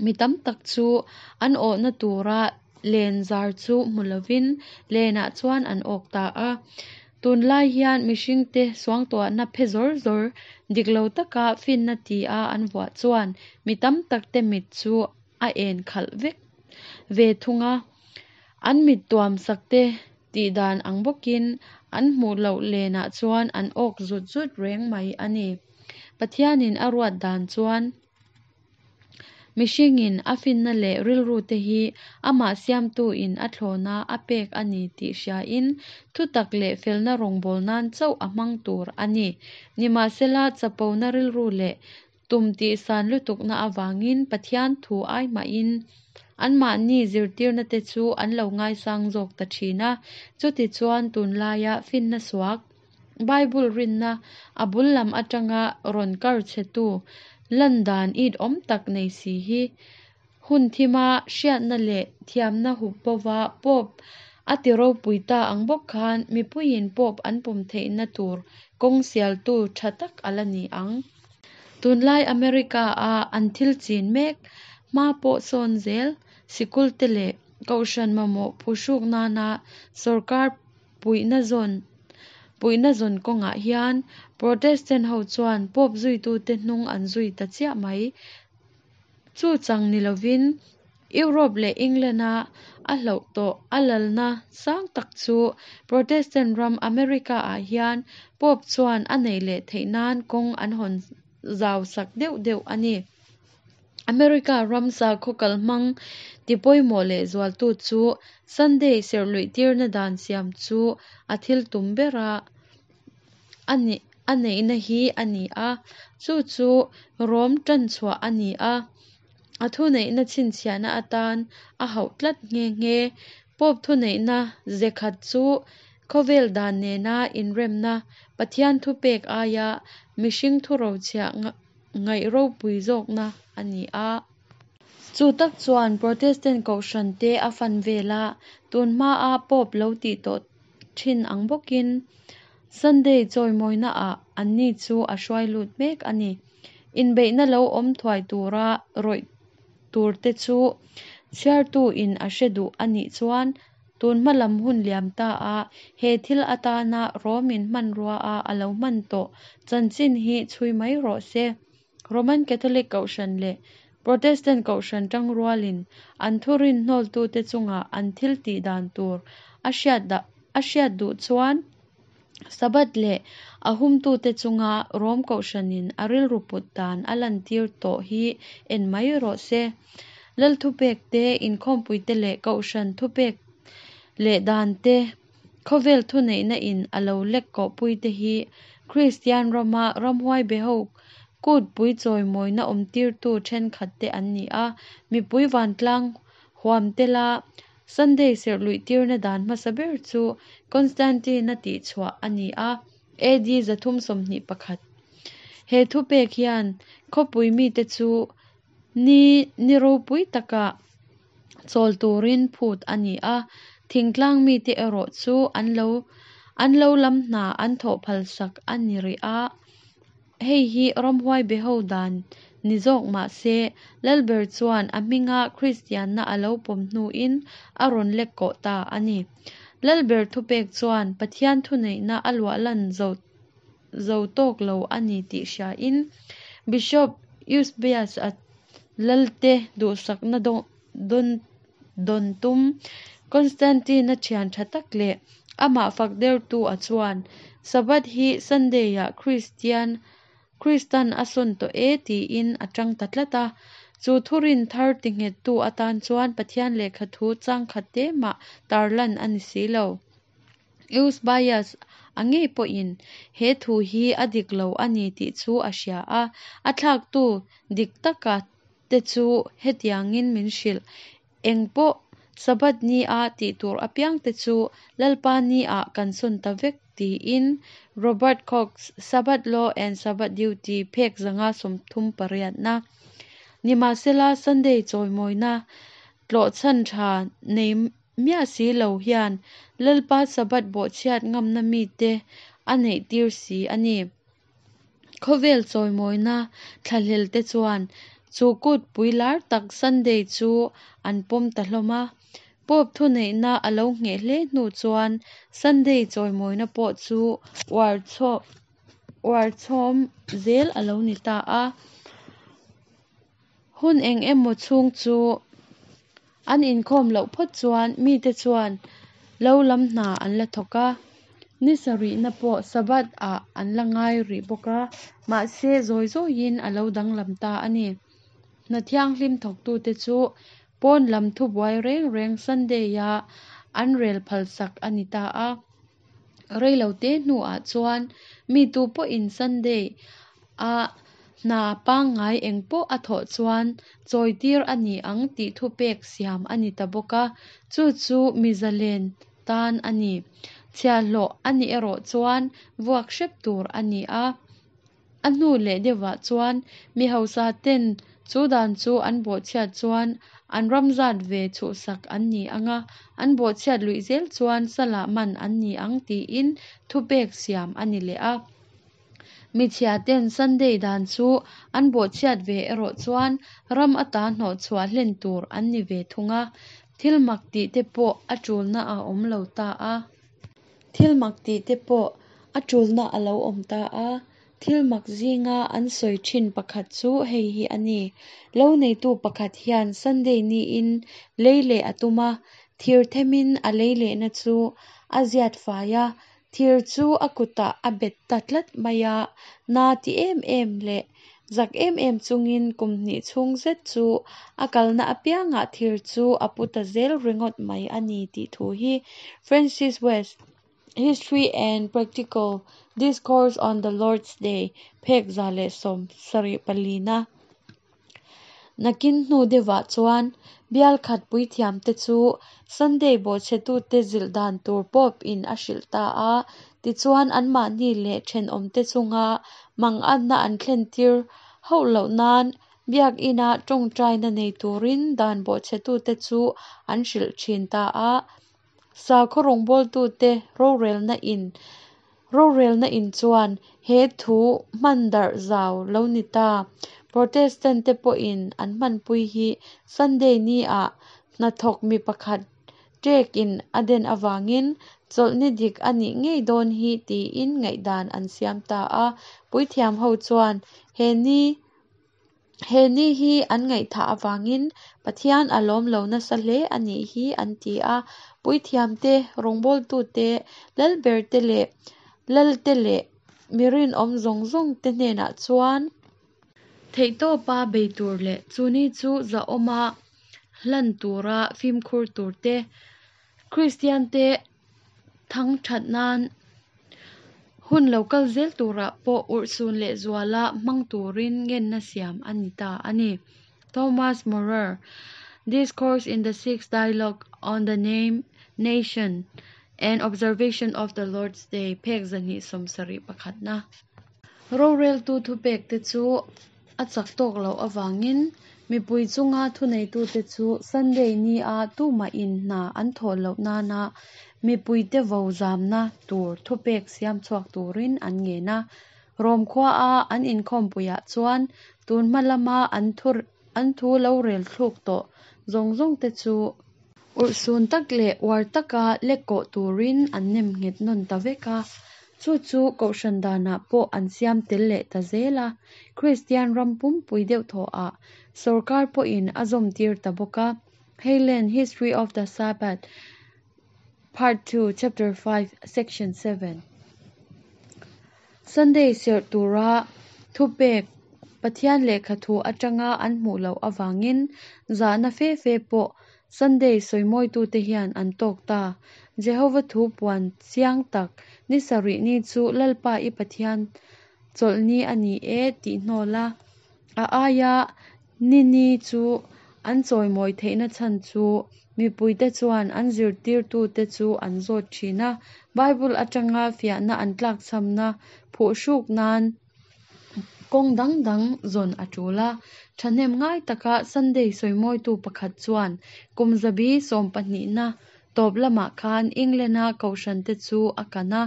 Mi tam tak chu an awhna tura len zar chu hmu lovin lenah chuan an awk ta a. Tunlai hian mihringte suangtuahna phe zawr zawr dik lo taka finna tia an vuah chuan mi tam takte mit chu a en khalh vek ve thung a. An mit tuamsakte tih dan ang bawkin an hmuh loh lenah chuan an awk zut zut reng mai a ni. Pathianin a ruat dan chuan mihringin a finna leh rilrute hi amah siamtuin a thlawna a pek a ni tih hriain thutak leh felna rawngbâwl nan chauh a hmang tur a ni. Nimahsela, chapona rilru leh tum tihsan lutukna avangin Pathian thu ai mahin anmahni zirtirnate chu an lo ngaisang zawk ta thin a. Chutichuan, tunlaia finna suak, Bible rinna a bul lam atanga rawn kar chhetu lan dan it awm tak nei si hi hun thima hriatna leh thiamna hup bova Pope a ti ropui ta ang bawk khan mipuiin Pope an pawm theihna tur kawng sialtu tha tak a la ni ang. Tunlai America-a an thil chin mek hma pawh sawn zel sikul te leh kohhran mamawh phuhruk nana sorkar puihna zawn puihna zawn kawngah hian Protestant ho chuan Pope zuitute hnung an zui ta chiah mai. Chu chang ni lovin Europe leh England-a a hloh tawh a lalna sang tak chu Protestant ram America-ah hian Pope chuan a neih leh theih nan kawng an hawn zau sak deuh deuh a ni. America ram sakhaw kalhmang tipawimawh leh zualtu chu Sunday serhluihtirna dan siam chu a thil tum bera a nih a neihna hi a ni a, chu chu Rom tanchhuah a ni a, a thuneihna chhinchhiahna atan a hauh tlat nghe nghe. Pope thuneihna ze khat chu khawvel dan nena inremna, Pathian thupek aia mihring thurochhiah ngaih ropui zawkna a ni a. Chu tak chuan Protestant kohhran te a fan vel a, tun hmaa Pope lo tih tawh thin ang bawkin Sunday chawimawina ah anni chu a hruai lut mek a ni. Inbeihna lo awm thuai tura rawih tur te chu chhiartu in a hre duh a nih chuan tun hma lam hun liam ta a he thil atana Romin hmanrua a a lo hman tawh chanchin hi chhui mai rawh se. Roman Catholic Kohhran leh Protestant Kohhran tangrualin an thurin hnawltute chunga an thil tih dan tur a hriat a hriat duh chuan Sabbath leh a humtute chunga Rom Kohhranin a rilru put dan a lantir tawh hi en mai rawh se. Lal thupek te, inkhawmpuite leh Kohhran thupek leh dan te khawvel thuneihna in a lo lek kawhpuite hi Kristian rama ramhuai be ho Kutpui chawimawina awmtirtu thenkhatte an ni a. Mipui vantlang huam tela Sunday serh luihtirna dan hmasa ber chu Constantine-a tihchhuah a ni a, AD 321. He thupek hian khawpui mite chu ni ni ropui taka chawl turin phut a ni a, thingtlang mite erawh chu an lo an lo lam hna an thawh phalsak a ni rih a. Hei hi ramhuai beho dan ni zawk mah se, Lalber chuan a hminga Kristianna a lo pawm hnuin a rawn lek kawh ta a ni. Lalber thupek chuan Pathian thuneihna a luahlan zo zo tawk lo a ni tih hriain Bishop Eusebius-a Lalte duhsakna dawn dawn tum Constantine-a thian tha tak leh amah fak dertu a chuan Sabbath hi Sunday-ah Kristian Kristan a sawn tawh e tiin a tang ta tlat a. Chu thurin thar tinghettu atan chuan Pathian lehkha thu chang khat te mah tarlan a ni si lo. Eusebius a ngei pawhin he thu hi a dik lo a ni tih chu a hria a, a thlaktu dik taka te chu hetiangin min hrilh, Eng pawh Sabbath ni-a tih tur apiangte chu Lalpa ni-ah kan sawn ta vek tiin Robert Cox, Sabbath Law and Sabbath Duty phek 138 na. Nimahsela, Sunday chawimawina tlawhchhan tha nei miah si lo hian Lalpa Sabbath bawhchhiat ngamna mite a neihtir si a ni. Khawvel chawimawina thlahlel te chuan chu kutpui lar tak Sunday chu an pawm ta hlawm a. Pope thuneihna a lo ngheh hle hnu chuan Sunday chawimawina pawh chu uar uar chhawm zel a lo ni ta a. Hun eng emaw chhung chu an inkhawm loh phawt chuan mite chuan lo lam hna an la thawk a, ni sarihna pawh Sabbath ah an la ngai rih bawk a, mahse zawi zawiin a lo danglam ta a ni. Hna thianghlim thawktute chu pawn lam thubuai reng reng Sunday-a an rel phalsak a ni ta a. Reilote hnuah chuan mi tu pawhin Sunday a hna pangngai eng pawh a thawh chuan chawitir a ni ang tih thupek siam a ni ta bawk a, chu chu mi zalen tan a ni. Chhiahhlawh a nih erawh chuan vuak hrep tur a ni a. A hnu leh deuhah chuan mi hausa ten chu dan chu an bawhchhiat chuan an ram zat ve chhuhsak an ni ang a, an bawhchhiat luih zel chuan salah man an ni ang tiin thupek siam a ni leh a. Michhia ten Sunday dan chu an bawhchhiat ve erawh chuan ram ata hnawhchhuah hlen tur an ni ve thung a, thil mak tih te pawh a tulna a awm lo ta a. Thil mak tih te pawh a tulna a lo awm ta a. Thil mak zinga an sawi thin pakhat chu hei hi a ni, Lo neitu pakhat hian Sunday niin lei leh a tum a, thir themin a lei lehna chu a ziat fai a, thir chu a kutah a bet ta tlat mai a, na ti em em leh zak em em chungin kum hnih chhung zet chu a kalna apiangah thir chu a pu ta zel ringawt mai a ni tih thu hi Francis West History and Practical Discourse on the Lord's Day phek 174 na. Nakin hnu deuhah chuan bial khat puithiamte chu Sunday bawhchhetute zilh dan tur Pope in a hrilh ta a, tichuan anmahni leh thenawmte chunga manganna an thlentir hauh loh nan Biakina tawngtaina nei turin dan bawhchhetute chu an hrilh thin ta a. Sakhaw rawngbawltute rorelna in rorelna in chuan he thu hman darh zau lo ni ta. Protestant te pawhin an hmanpui hi Sunday ni ah hnathawk mi pakhat ṭek in a den avangin chawlhni dik a nih ngei dawn hi tiin ngaihdan an siam ta a. Puithiam ho chuan he ni He ni hi an ngaihthah avangin Pathian a lawm lo nasa hle a nih hi an ti a. Puithiamte, rawngbawltute, lalberte leh lalte leh mi rinawm zawng zawngte hnenah chuan, theihtawpa bei tur leh chu ni chu zahawma hlan tura fimkhur tur te, Kristiante thangthat nan. Hun lo kal zel turah pawh urhsun lehzuala hmang turin ngenna siam a ni ta a ni. Thomas Moorer, Discourse in the Sixth Dialogue on the Name, Nation, and Observation of the Lord's Day, phek 270 pakhatna. Roreltu thupekte chu a chak tawk loh avangin mipui chunga thuneitute chu Sunday nia tumahin hna an thawh loh nana mipuite vo zamna tur thupek siam chhuak turin an ngen a. Rom khuaa an inkhawmpuiah chuan tun hma lama an thu lo rel thluk tawh zawng zawngte chu urhsun tak leh uar taka lekkawh turin an nem nghet nawn ta vek a. Chu chu Kohhran danah pawh an siam tel leh ta zel a, Kristian ram pumpui deuhthawhah sawrkar pawhin a zawmtir ta bawk a. Heylin, History of the Sabbath, Part 2, Chapter 5, Section 7. Sunday serh tura thupek Pathian lehkha thu atanga an hmuh loh avangin zahna fe fe pawh Sunday sawimawitute hian an tawk ta. Jehova thu puan chiang tak, Ni sarih ni chu Lalpa i Pathian chawlhni a ni e tih hnawl a, a aia ni ni chu an chawimawi theihna chhan chu mipuite chuan an zirtirtute chu an zawt thin a, Bible atanga fiahna an tlakchhamna phuhruk nan kawng dang dang zawn a tul a. Thahnem ngai taka Sunday sawimawitu pakhat chuan kum zabi sawmpahnihna tawp lamah khan England-a kohhrante chu a kan a,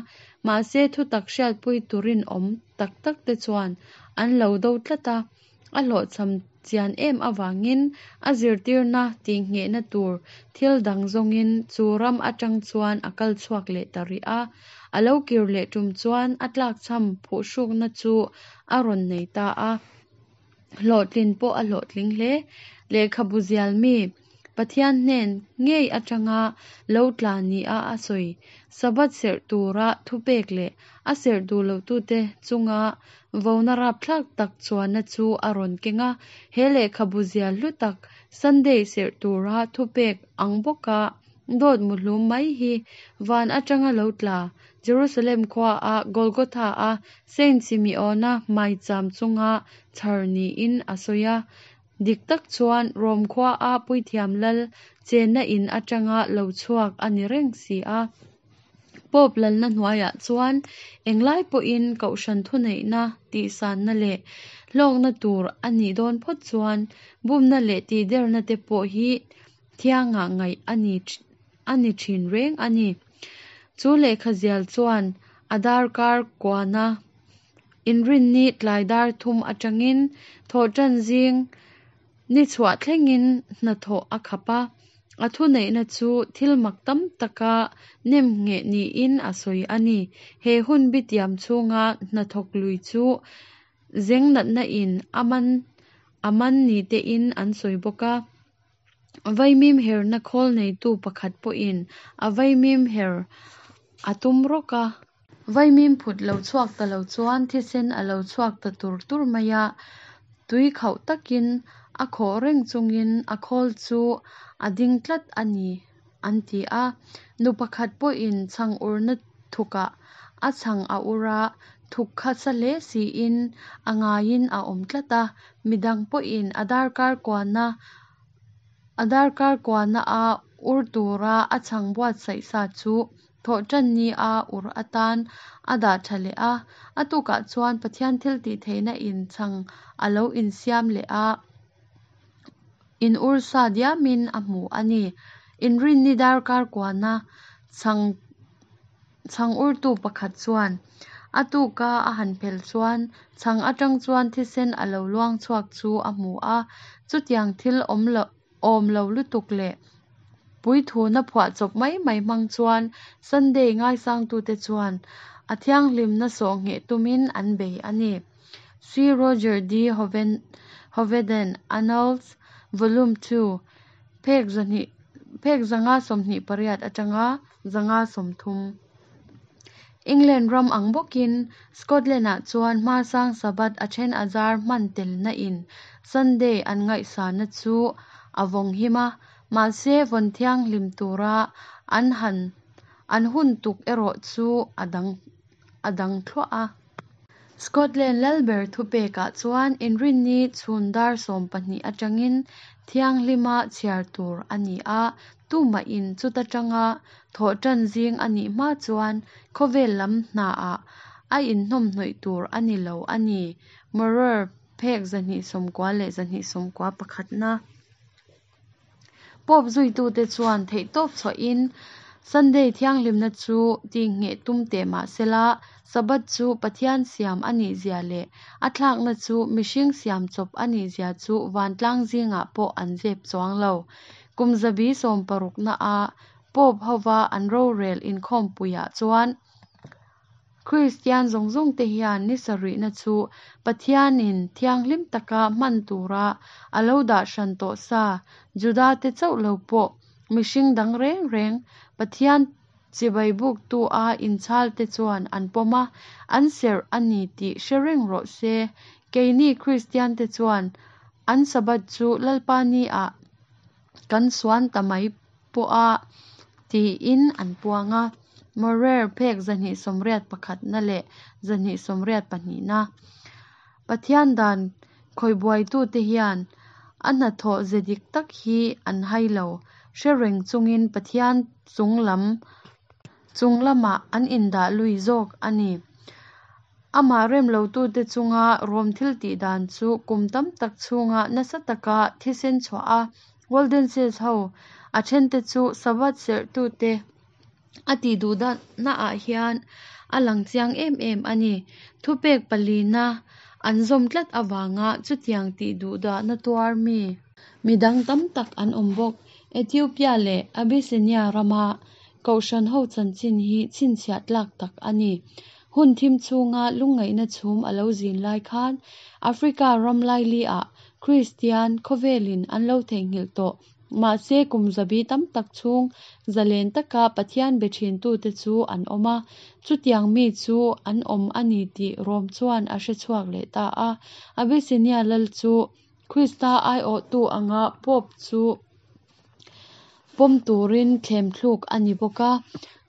mahse thutak hriatpui turin awm tak takte chuan an lo do tlat a. A hlawhchham chian em avangin a zirtirna tihnghehna tur thil dang zawngin chu ram atang chuan a kal chhuak leh ta rih a. A lo kir leh tum chuan a tlakchham phuhrukna chu a rawn nei ta a. Hlawhtlin pawh a hlawhtling hle. Lehkhabu zial mi, Pathian hnen ngei atanga lo tla nia a sawi. Sabbath serh tura thupek leh a serh duh lohtute chunga vona rapthlak tak chuanna chu a rawn keng a. He lehkhabu zial hlu tak, Sunday serh tura thupek ang bawka dawt muhlum mai hi van atanga lo tla, Jerusalem khuaa Golgotha-a Saint Simeon-a maicham chunga chhar niin a sawi a. Dik tak chuan Rom khuaa puithiam lal chenna in atanga lo chhuak a ni reng si a. Pope lalna hnuaiah chuan englai pawhin kohhran thuneihna tihsanna leh hlawkna tur a nih dawn phawt chuan bumna leh tihderna te pawh hi thiangah ngaih a ni a ni thin reng a ni. Chu lehkha zial chuan a darkar kuana Inrinni tlai dar thum atangin thawhtan zing ni chhuah thlengin hnathawh a khap a, a thuneihna chu thil mak tam taka nem ngheh niin a sawi a ni. He hun bitiam chhunga hnathawk lui chu zeng natna in a man a man ni tein an sawi bawk a. Vaimim herna khawl neitu pakhat pawhin a vaimim her a tum rawk a. Vaimim phut lo chhuak ta lo chuan thisen a lo chhuak ta tur tur mai a, tui khauh takin a khawh reng chungin a khawl chu a ding tlat a ni an ti a. Nu pakhat pawhin chhang urna thukah a chhang a ur a, thuk kha sa hle siin a ngaiin a awm tlat a, midang pawhin a darkar kuana A darkar kuana a ur tura a chhang buatsaih sa chu thawhtan ni a ur atan a dah tha leh a. A tukah chuan Pathian thil tih theihna in chhang a lo insiam leh a, in ur sa diamin a hmu a ni. Inrinni darkar kuana chhang Chhang urtu pakhat chuan a tuka a han phel chuan chhang atang chuan thisen a lo luang chhuak chu a hmu a, chutiang thil awm lo awm lo lutuk leh puithuna phuahchawp mai mai hmang chuan Sunday ngaisangtute chuan a thianghlimna sawhngheh tumin an bei a ni. C. Roger D. Hoveden, Annals, Volume 2, phek zahnih phek 528 atanga 530. England ram ang bawkin Scotland-ah chuan hmasang Sabbath a then a zar hman telna in Sunday an ngaihsana chu a vawng him a, mahse vawn thianghlim tura an han an hun tuk erawh chu a dang. a dang thluah a. Scotland lalber thupekah chuan Inrinni chhun dar 12 atangin thianghlima chhiar tur a ni a, tumahin chuta tanga thawhtan zing a nih hma chuan khawvel lam hnaah a inhnawmhnawih tur a ni lo a ni, Maurer, phek 290 leh 291 na. Pope zuitute chuan theihtawp chhuahin Sunday thianghlimna chu tihngheh tum teh mah sela, Sabbath chu Pathian siam a nihzia leh a thlakna chu mihring siam chawp a nihzia chu vantlang zingah pawh an zep chuang lo. Kum zabi sawmparukna-a Pope hova an rorel inkhawmpuiah chuan Kristian zawng zawngte hian ni sarihna chu Pathianin thianghlim taka hman tura a lo dah hran tawh sa, Judate chauh lo pawh mihring dang reng reng Pathian chibai buktu-a inchhalte chuan an pawm a, an serh a ni tih hre reng rawh se. Keini Kristiante chuan an Sabbath chu Lalpa ni-ah kan suan ta mai pawh a, tiin an puang a. Maurer phek 281na leh 282na. Pathian dan khawihbuaitute hian a hnathawh ze dik tak hi an hai lo, hre reng chungin Pathian chung lam chung lamah an indah lui zawk a ni. Amah rem lotute chunga Rom thiltih dan chu kum tam tak chhunga nasa taka thisen chhuah a, Waldenses ho a thente chu Sabbath serhtute a tih duhnaah hian a lang chiang em em a ni. Thupek palina an zawm tlat avanga chutiang tih duhdahna tuar mi midang tam tak an awm bawk. Ethiopia leh Abyssinia rama kohhran ho chanchin hi chhinchhiah tlak tak a ni. Hun thim chhunga lungngaihna chhum a lo zin lai khan Africa ram laili-ah Kristian khawvelin an lo theihnghilh tawh. Mahse kum zabi tam tak chhung zalen taka Pathian be thintute chu an awm a, chutiang mi chu an awm a ni tih Rom chuan a hre chhuak leh ta a. Abyssinia lal chu Krista aiawhtu anga Pope chu pawm turin thlemthluk a ni bawk a.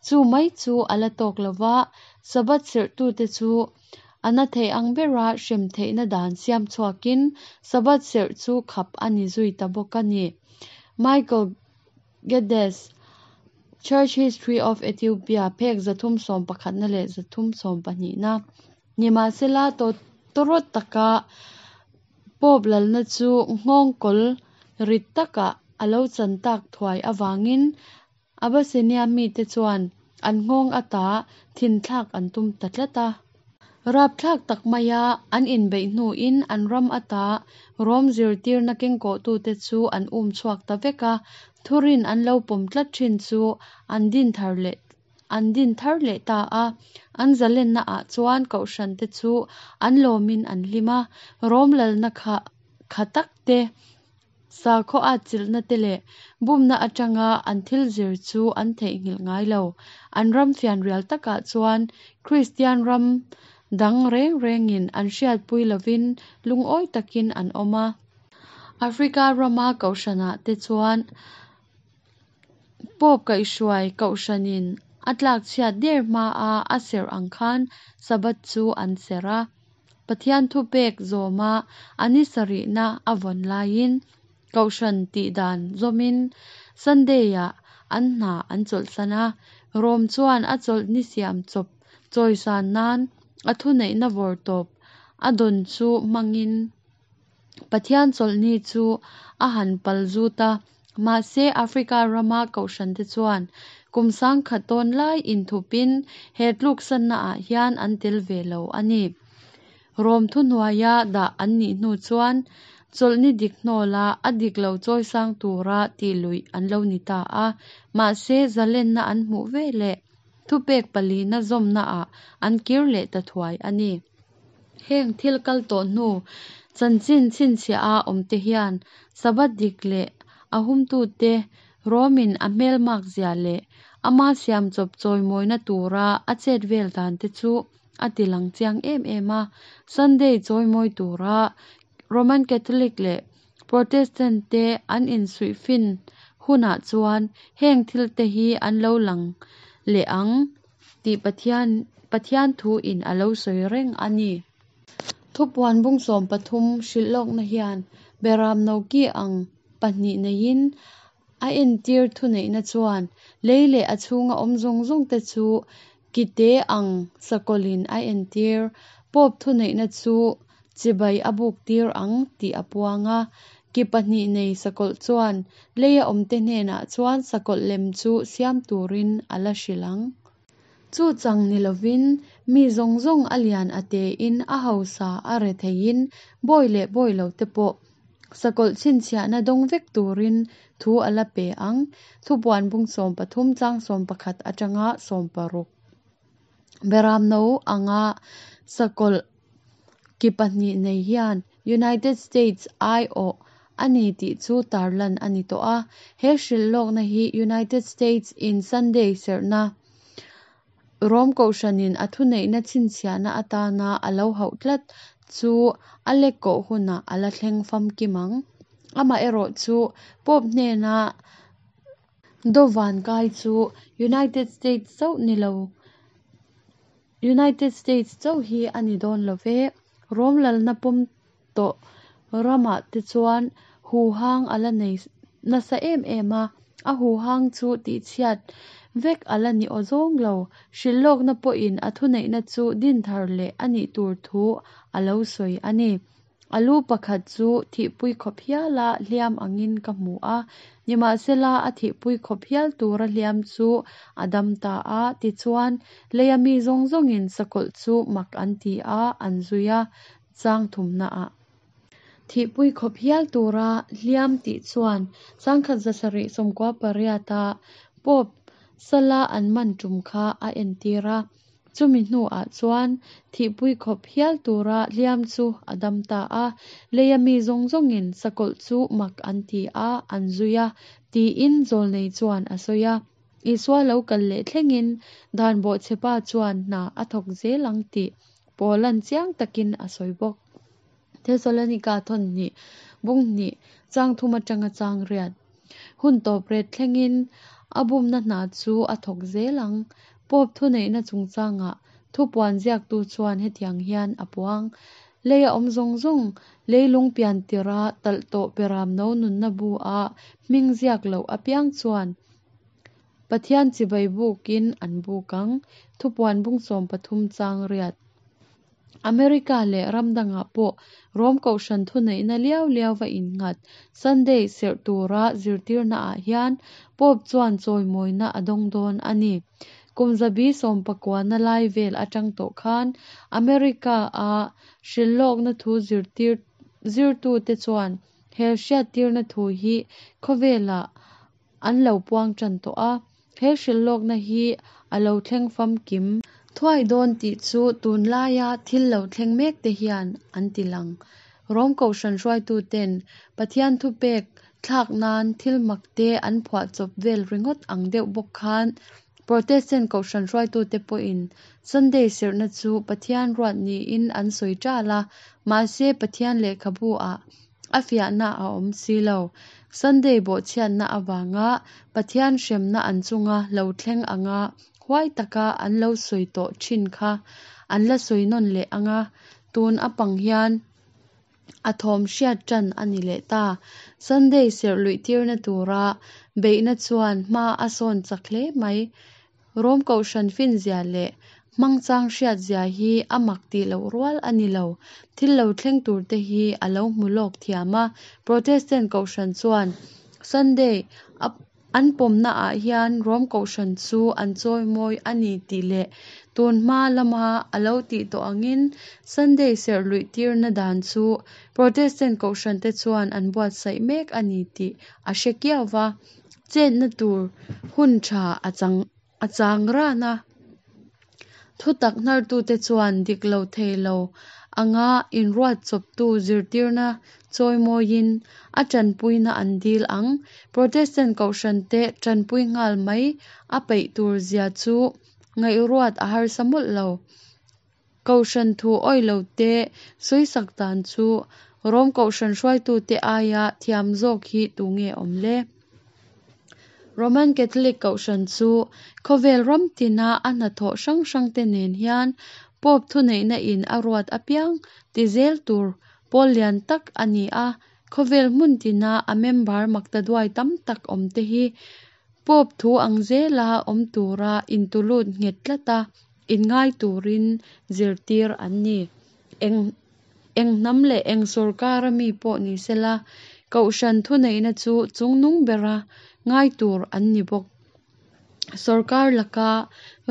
Chu mai chu a la tawk lo va, Sabbath serhtute chu a na thei ang bera hrem theihna dan siam chhuakin Sabbath serh chu khap a ni zui ta bawk a ni. Michael Geddes, Church History of Ethiopia, phek 311na leh 312na. Nimahsela, tawtawrawt taka Pope lalna chu nghawngkawl rit takah a lo chan tak thuai avangin Abyssinia mite chuan an nghawng ata thinthlak an tum ta tlat a. Rapthlak tak maia an inbeih hnuin an ram ata Rom zirtirna kengkawhtute chu an um chhuak ta vek a, thurin an lo pawm tlat thin chu an din thar leh an din thar leh ta a. An zalennaah chuan kohhrante chu an lawmin an hlim a, Rom lalna kha kha tak te, Sakhaw atchilhna te leh bumna atanga an thil zir chu an theihnghilh ngai lo. An ram fianrial takah chuan Kristian ram dang reng rengin an hriatpui lovin lungawi takin an awm a. Africa rama kohhranah te chuan Pope kaihhruai kohhranin a tlakchhiat der hmaa a serh ang khan Sabbath chu an serh a. Pathian thupek zawma a ni sarihna a vawn laiin kohhran tih dan zawmin Sunday-ah an hna an chawlhsan a. Rom chuan a chawlhni siam chawp chawisan nan a thuneihna vawrtawp a dawn chu hmangin Pathian chawlhni chu a han pal zut a, mahse Africa rama kohhrante chuan kum sangkhat tawn lai inthupin he tluksannaah hian an tel ve lo a ni. Rom thuhnuaia dah an nih hnu chuan chawlhni dik hnawla a dik lo chawisang tura tih luih an lo ni ta a, mahse zalenna an hmuh veleh thupek palina zawmnaah an kir leh ta thuai a ni. Heng thil kal tawh hnu chanchin chhinchhiah a awmte hian Sabbath dik leh a humtute Romin a hmelmak zia leh ama siam chawp chawimawina tura a chet vel dan te chu a ti lang chiang em em a. Sunday chawimawi tura Roman Catholic leh Protestant te an insuihfin hunah chuan heng thil te hi an lo lang leh ang tih Pathian Pathian thuin a lo sawi reng a ni. Thupuan bung 13 hrilhlawkna hian Beram no ki ang pahnih neiin a entir thuneihna chuan lei leh a chhunga awm zawng zawngte chu kite ang sakawlhin a entir Pope thuneihna chu chibai a buktir ang tih a puang a. Ki pahnih nei sakawlh chuan leia awmte hnenah chuan sakawlh lem chu siam turin a la hrilh ang. Chu chang ni lovin mi zawng zawng a lian a tein, a hausa a retheiin, bawi leh bawi lote pawh sakawlh chhinchhiahna dawng vek turin thu a la pe ang. Thupuan bung 13 chang 11 atanga 16. Beram no anga sakawlh ki pahnih nei hian United States aiawh a ni tih chu tarlan a ni tawh a. He hrilhlawkna hi United States in Sunday serhna Rom Kohhranin a thuneihna chhinchhiahna atana a lo hauh tlat chu a lekkawh hunah a la thleng famkim ang. Amaherawhchu, Pope hnena dawvan kai chu United States chauh ni lo United States chauh hi a ni dawn lo ve. Rom lalna pawm tawh ramah te chuan huhang a la nei nasa em em a, a huhang chu tihchhiat vek a la ni awzawng lo. Hrilhlawkna pawhin a thuneihna chu din thar leh a nih tur thu a lo sawi a ni. A lu pakhat chu thihpui khawp hiala hliam angin ka hmu a, nimahsela a thihpui khawp hial tura hliam chu a dam ta a, tichuan leia mi zawng zawngin sakawlh chu mak an ti a, an zui a, chang thumnaah. Thihpui khawp hial tura hliam tih chuan 1798-a Pope sala an man tum kha a entir a. Chumi hnuah chuan thihpui khawp hial tura hliam chu a dam ta a, leia mi zawng zawngin sakawlh chu mak an ti a, an zui a, tiin zawlnei chuan a sawi a. Isua lo kal leh thlengin dan bawhchhepa chuan hna a thawk zel ang tih Paula'n chiang takin a sawi bawk. Thesalonika thawn hnih, bung hnih, chang thum atanga chang riat. Hun tawp ret thlengin a bumna hna chu a thawk zel ang. Pope thuneihna chungchangah thupuan ziaktu chuan hetiang hian a puang, Leia awm zawng zawng, leilung pian tirha talh tawh Beram no nunna bu-a hming ziak loh apiang chuan Pathian chibai bukin an buk ang. Thupuan bung 13 chang riat. America leh ram dangah pawh Rom Kohhran thuneihna liau liauva innghat Sunday serh tura zirtirnaah hian Pope chuan chawimawina a dawng dawn a ni. Kum zabi sawmpakuana lai vel atang tawh khan America-a hrilhlawkna thu zirtir zirtute chuan he hriattirna thu hi khawvelah an lo puang tan tawh a, he hrilhlawkna hi a lo thleng famkim thuai dawn tih chu tunlaia thil lo thleng mek te hian an ti lang. Rom Kohhran hruaituten Pathian thupek thlak nan thil mak te an phuahchawp vel ringawt ang deuh bawk khan Protestant Kohhran hruaitute pawhin Sunday serhna chu Pathian ruat niin an sawi ṭal a, mahse Pathian lehkhabu-ah a fiahna a awm si lo. Sunday bawhchhiatna avanga Pathian hremna an chunga lo thleng anga huai taka an lo sawi tawh thin kha an la sawi nawn leh anga tun a pang hian a thawm hriat tan a ni leh ta. Sunday serh luih tirna tura beihna chuan hma a sawn chak hle mai. Rom Kohhran finzia leh hmangchang hriatzia hi a mak tih loh rual a ni lo. Thil lo thleng turte hi a lo hmu lawk thiam a. Protestant Kohhran chuan Sunday a an pawmnaah hian Rom Kohhran chu an chawimawi a ni tih leh tun hma lama a lo tih tawh angin Sunday serh luih tirna dan chu Protestant Kohhrante chuan an buatsaih mek a ni tih a hre kiau va. Chetna tur hun tha a chang a chang ran a. Thutak hnartute chuan dik lo thei lo anga inruat chawptu zirtirna chawimawiin a tanpuina an dil ang. Protestant Kohhrante tanpui nghal mai a peih tur zia chu ngaihruat a harsa mawlh lo. Kohhran thu awih lote sawisak dan chu Rom Kohhran hruaitute aia thiam zawk hi tunge awm le? Roman Catholic Kohhran chu khawvel ram tina a hnathawh hrang hrangte nen hian Pope thuneihna in a ruat apiang ti zel tur pawl lian tak a ni a. Khawvel hmun tina a member maktaduai tam tak awmte hi Pope thu ang zela awm tura intulut nghet tlata inngai turin zirtir an ni. Eng eng hnam leh eng sawrkara mi pawh ni sela, Kohhran thuneihna chu chungnung bera ngai tur an ni bawk. Sawrkar laka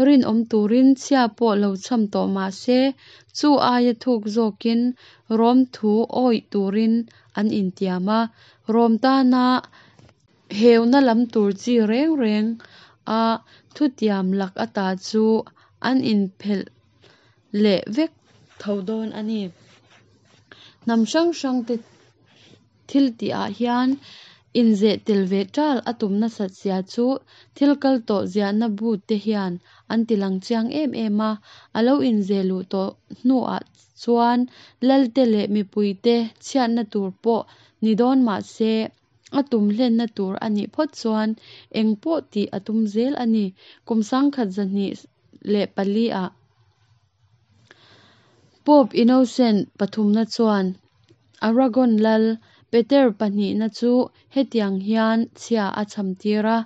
rinawm turin chhia pawh lo chham tawh mah se, chu aia thuk zawkin Rom thu awih turin an intiam a. Rom tana heuna lam tur chi reng reng a thutiam lak ata chu an inphelh leh vek tho dawn a ni. Hnam hrang hrangte thiltih ah hian inzeh tel ve ṭal a tum nasat zia chu thil kal tawh ziahna bu te hian an tilang chiang em em a. A lo inzeh luh tawh hnuah chuan lalte leh mipuite chhiatna tur pawh ni dawn mah se, a tum hlenna tur a nih phawt chuan eng pawh tih a tum zel a ni. Kum 1204 ah Pope Innocent pathumna chuan Aragon lal Peter pahnihna chu hetiang hian chhia a chham tir a,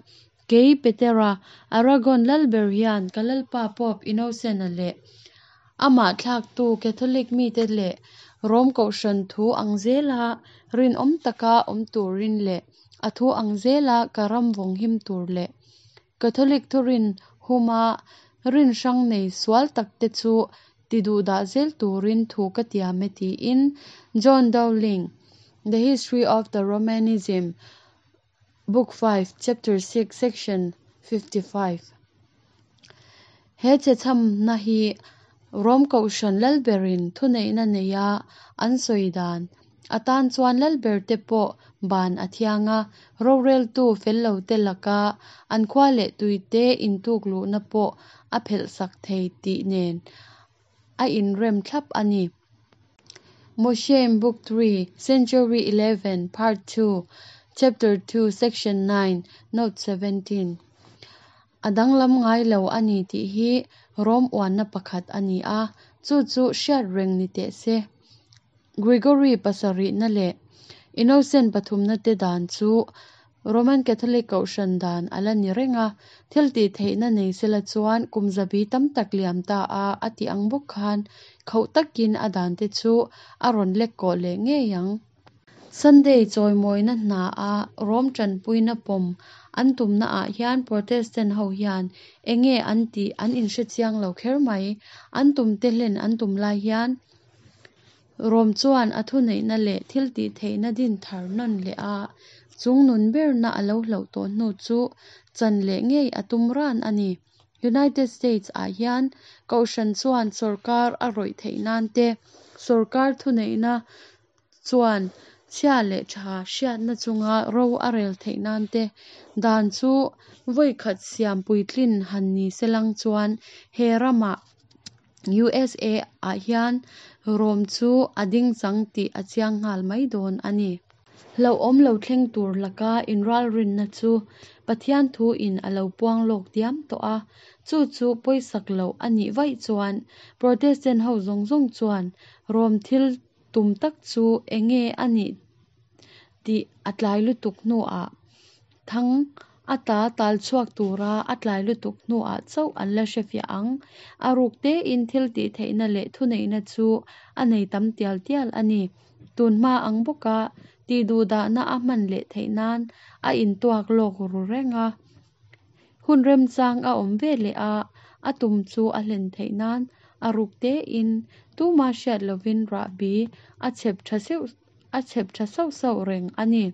Kei Petera, Aragon lalber hian ka lalpa Pope Innocent-a leh amah thlaktu Catholic mite leh Rom kohhran thu ang zela rinawm taka awm turin leh a thu ang zela ka ram vawnghim tur leh Catholic thurin huma rin hrang nei sual takte chu tiduhdah zel turin thu ka tiam e tiin John Dowling, The History of the Romanism, Book 5, Chapter 6, Section 55. He chhechhamna hi Rom Kohhran lalberin thuneihna neia an sawi dan atan chuan lalberte pawh ban a thiang a, roreltu fel lote laka an khua leh tuite intukluhna pawh a phelhsak thei tih nen a inrem thlap a ni. Mosheim Book 3, Century 11, Part 2, Chapter 2, Section 9, Note 17. A danglam ngai lo a ni tih hi Rom uanna pakhat a ni a, chu chu hriat reng ni teh se. Gregory pasarihna leh Innocent pathumna te dan chu Roman Catholic Kohhran dan a la ni reng a, thil tih theihna nei sela chuan kum zabi tam tak liam ta a a tih ang bawk khan khauh takin a dan te chu a rawn lek kawh leh ngei ang. Sunday chawimawina hna a Rom tanpuina pawm an tumna ah hian Protestant ho hian enge an tih an inhre chiang lo kher mai. An tum te hlen an tum lai hian Rom chuan a thuneihna leh thil tih theihna din thar nawn leh a, chungnun berna a lo hloh tawh hnu chu chan leh ngei a tum ran a ni. United States ah hian Kohhran chuan sawrkar a rawih theih nan te, sawrkar thuneihna chuan chhia leh tha hriatna chunga ro a rel theih nan te dan chu vawi khat siam puitlin han ni selang chuan he ramah USA ah hian Rom chu a ding chang tih a chiang nghal mai dawn a ni. Hlauhawm lo thleng tur laka inralrinna chu Pathian thu in a lo puang lawk diam tawh a, chu chu pawisak loh a nih vaih chuan Protestant ho zawng zawng chuan Rom thil tum tak chu enge a nih tih a tlai lutuk hnuah thang ata tal chhuak tura a tlai lutuk hnuah chauh an la hrefiah ang. A ruk tein thil tih theihna leh thuneihna chu a nei tam tial tial a ni. Tunhma ang bawka tihduhdahna a hman leh theih nan a intuak lawk ru reng a. Hun remchang a awm ve leh a, a tum chu a hlen theih nan a ruk tein tuma hriat lovin rahbi a chhep tha seuh a chhep tha sauh sauh reng a ni.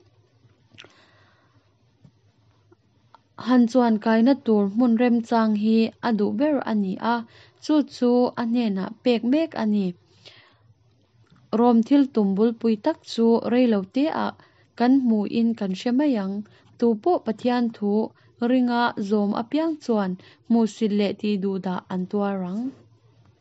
Han chuan kaina tur hmun remchang hi a duh ber a ni a, chu chu a hnenah pek mek a ni. Rom thil tum bulpui tak chu reilo te ah kan hmuin kan hre mai ang. Tu pawh Pathian thu ringa zawm apiang chuan hmuhsit leh tihduhdah an tuar ang.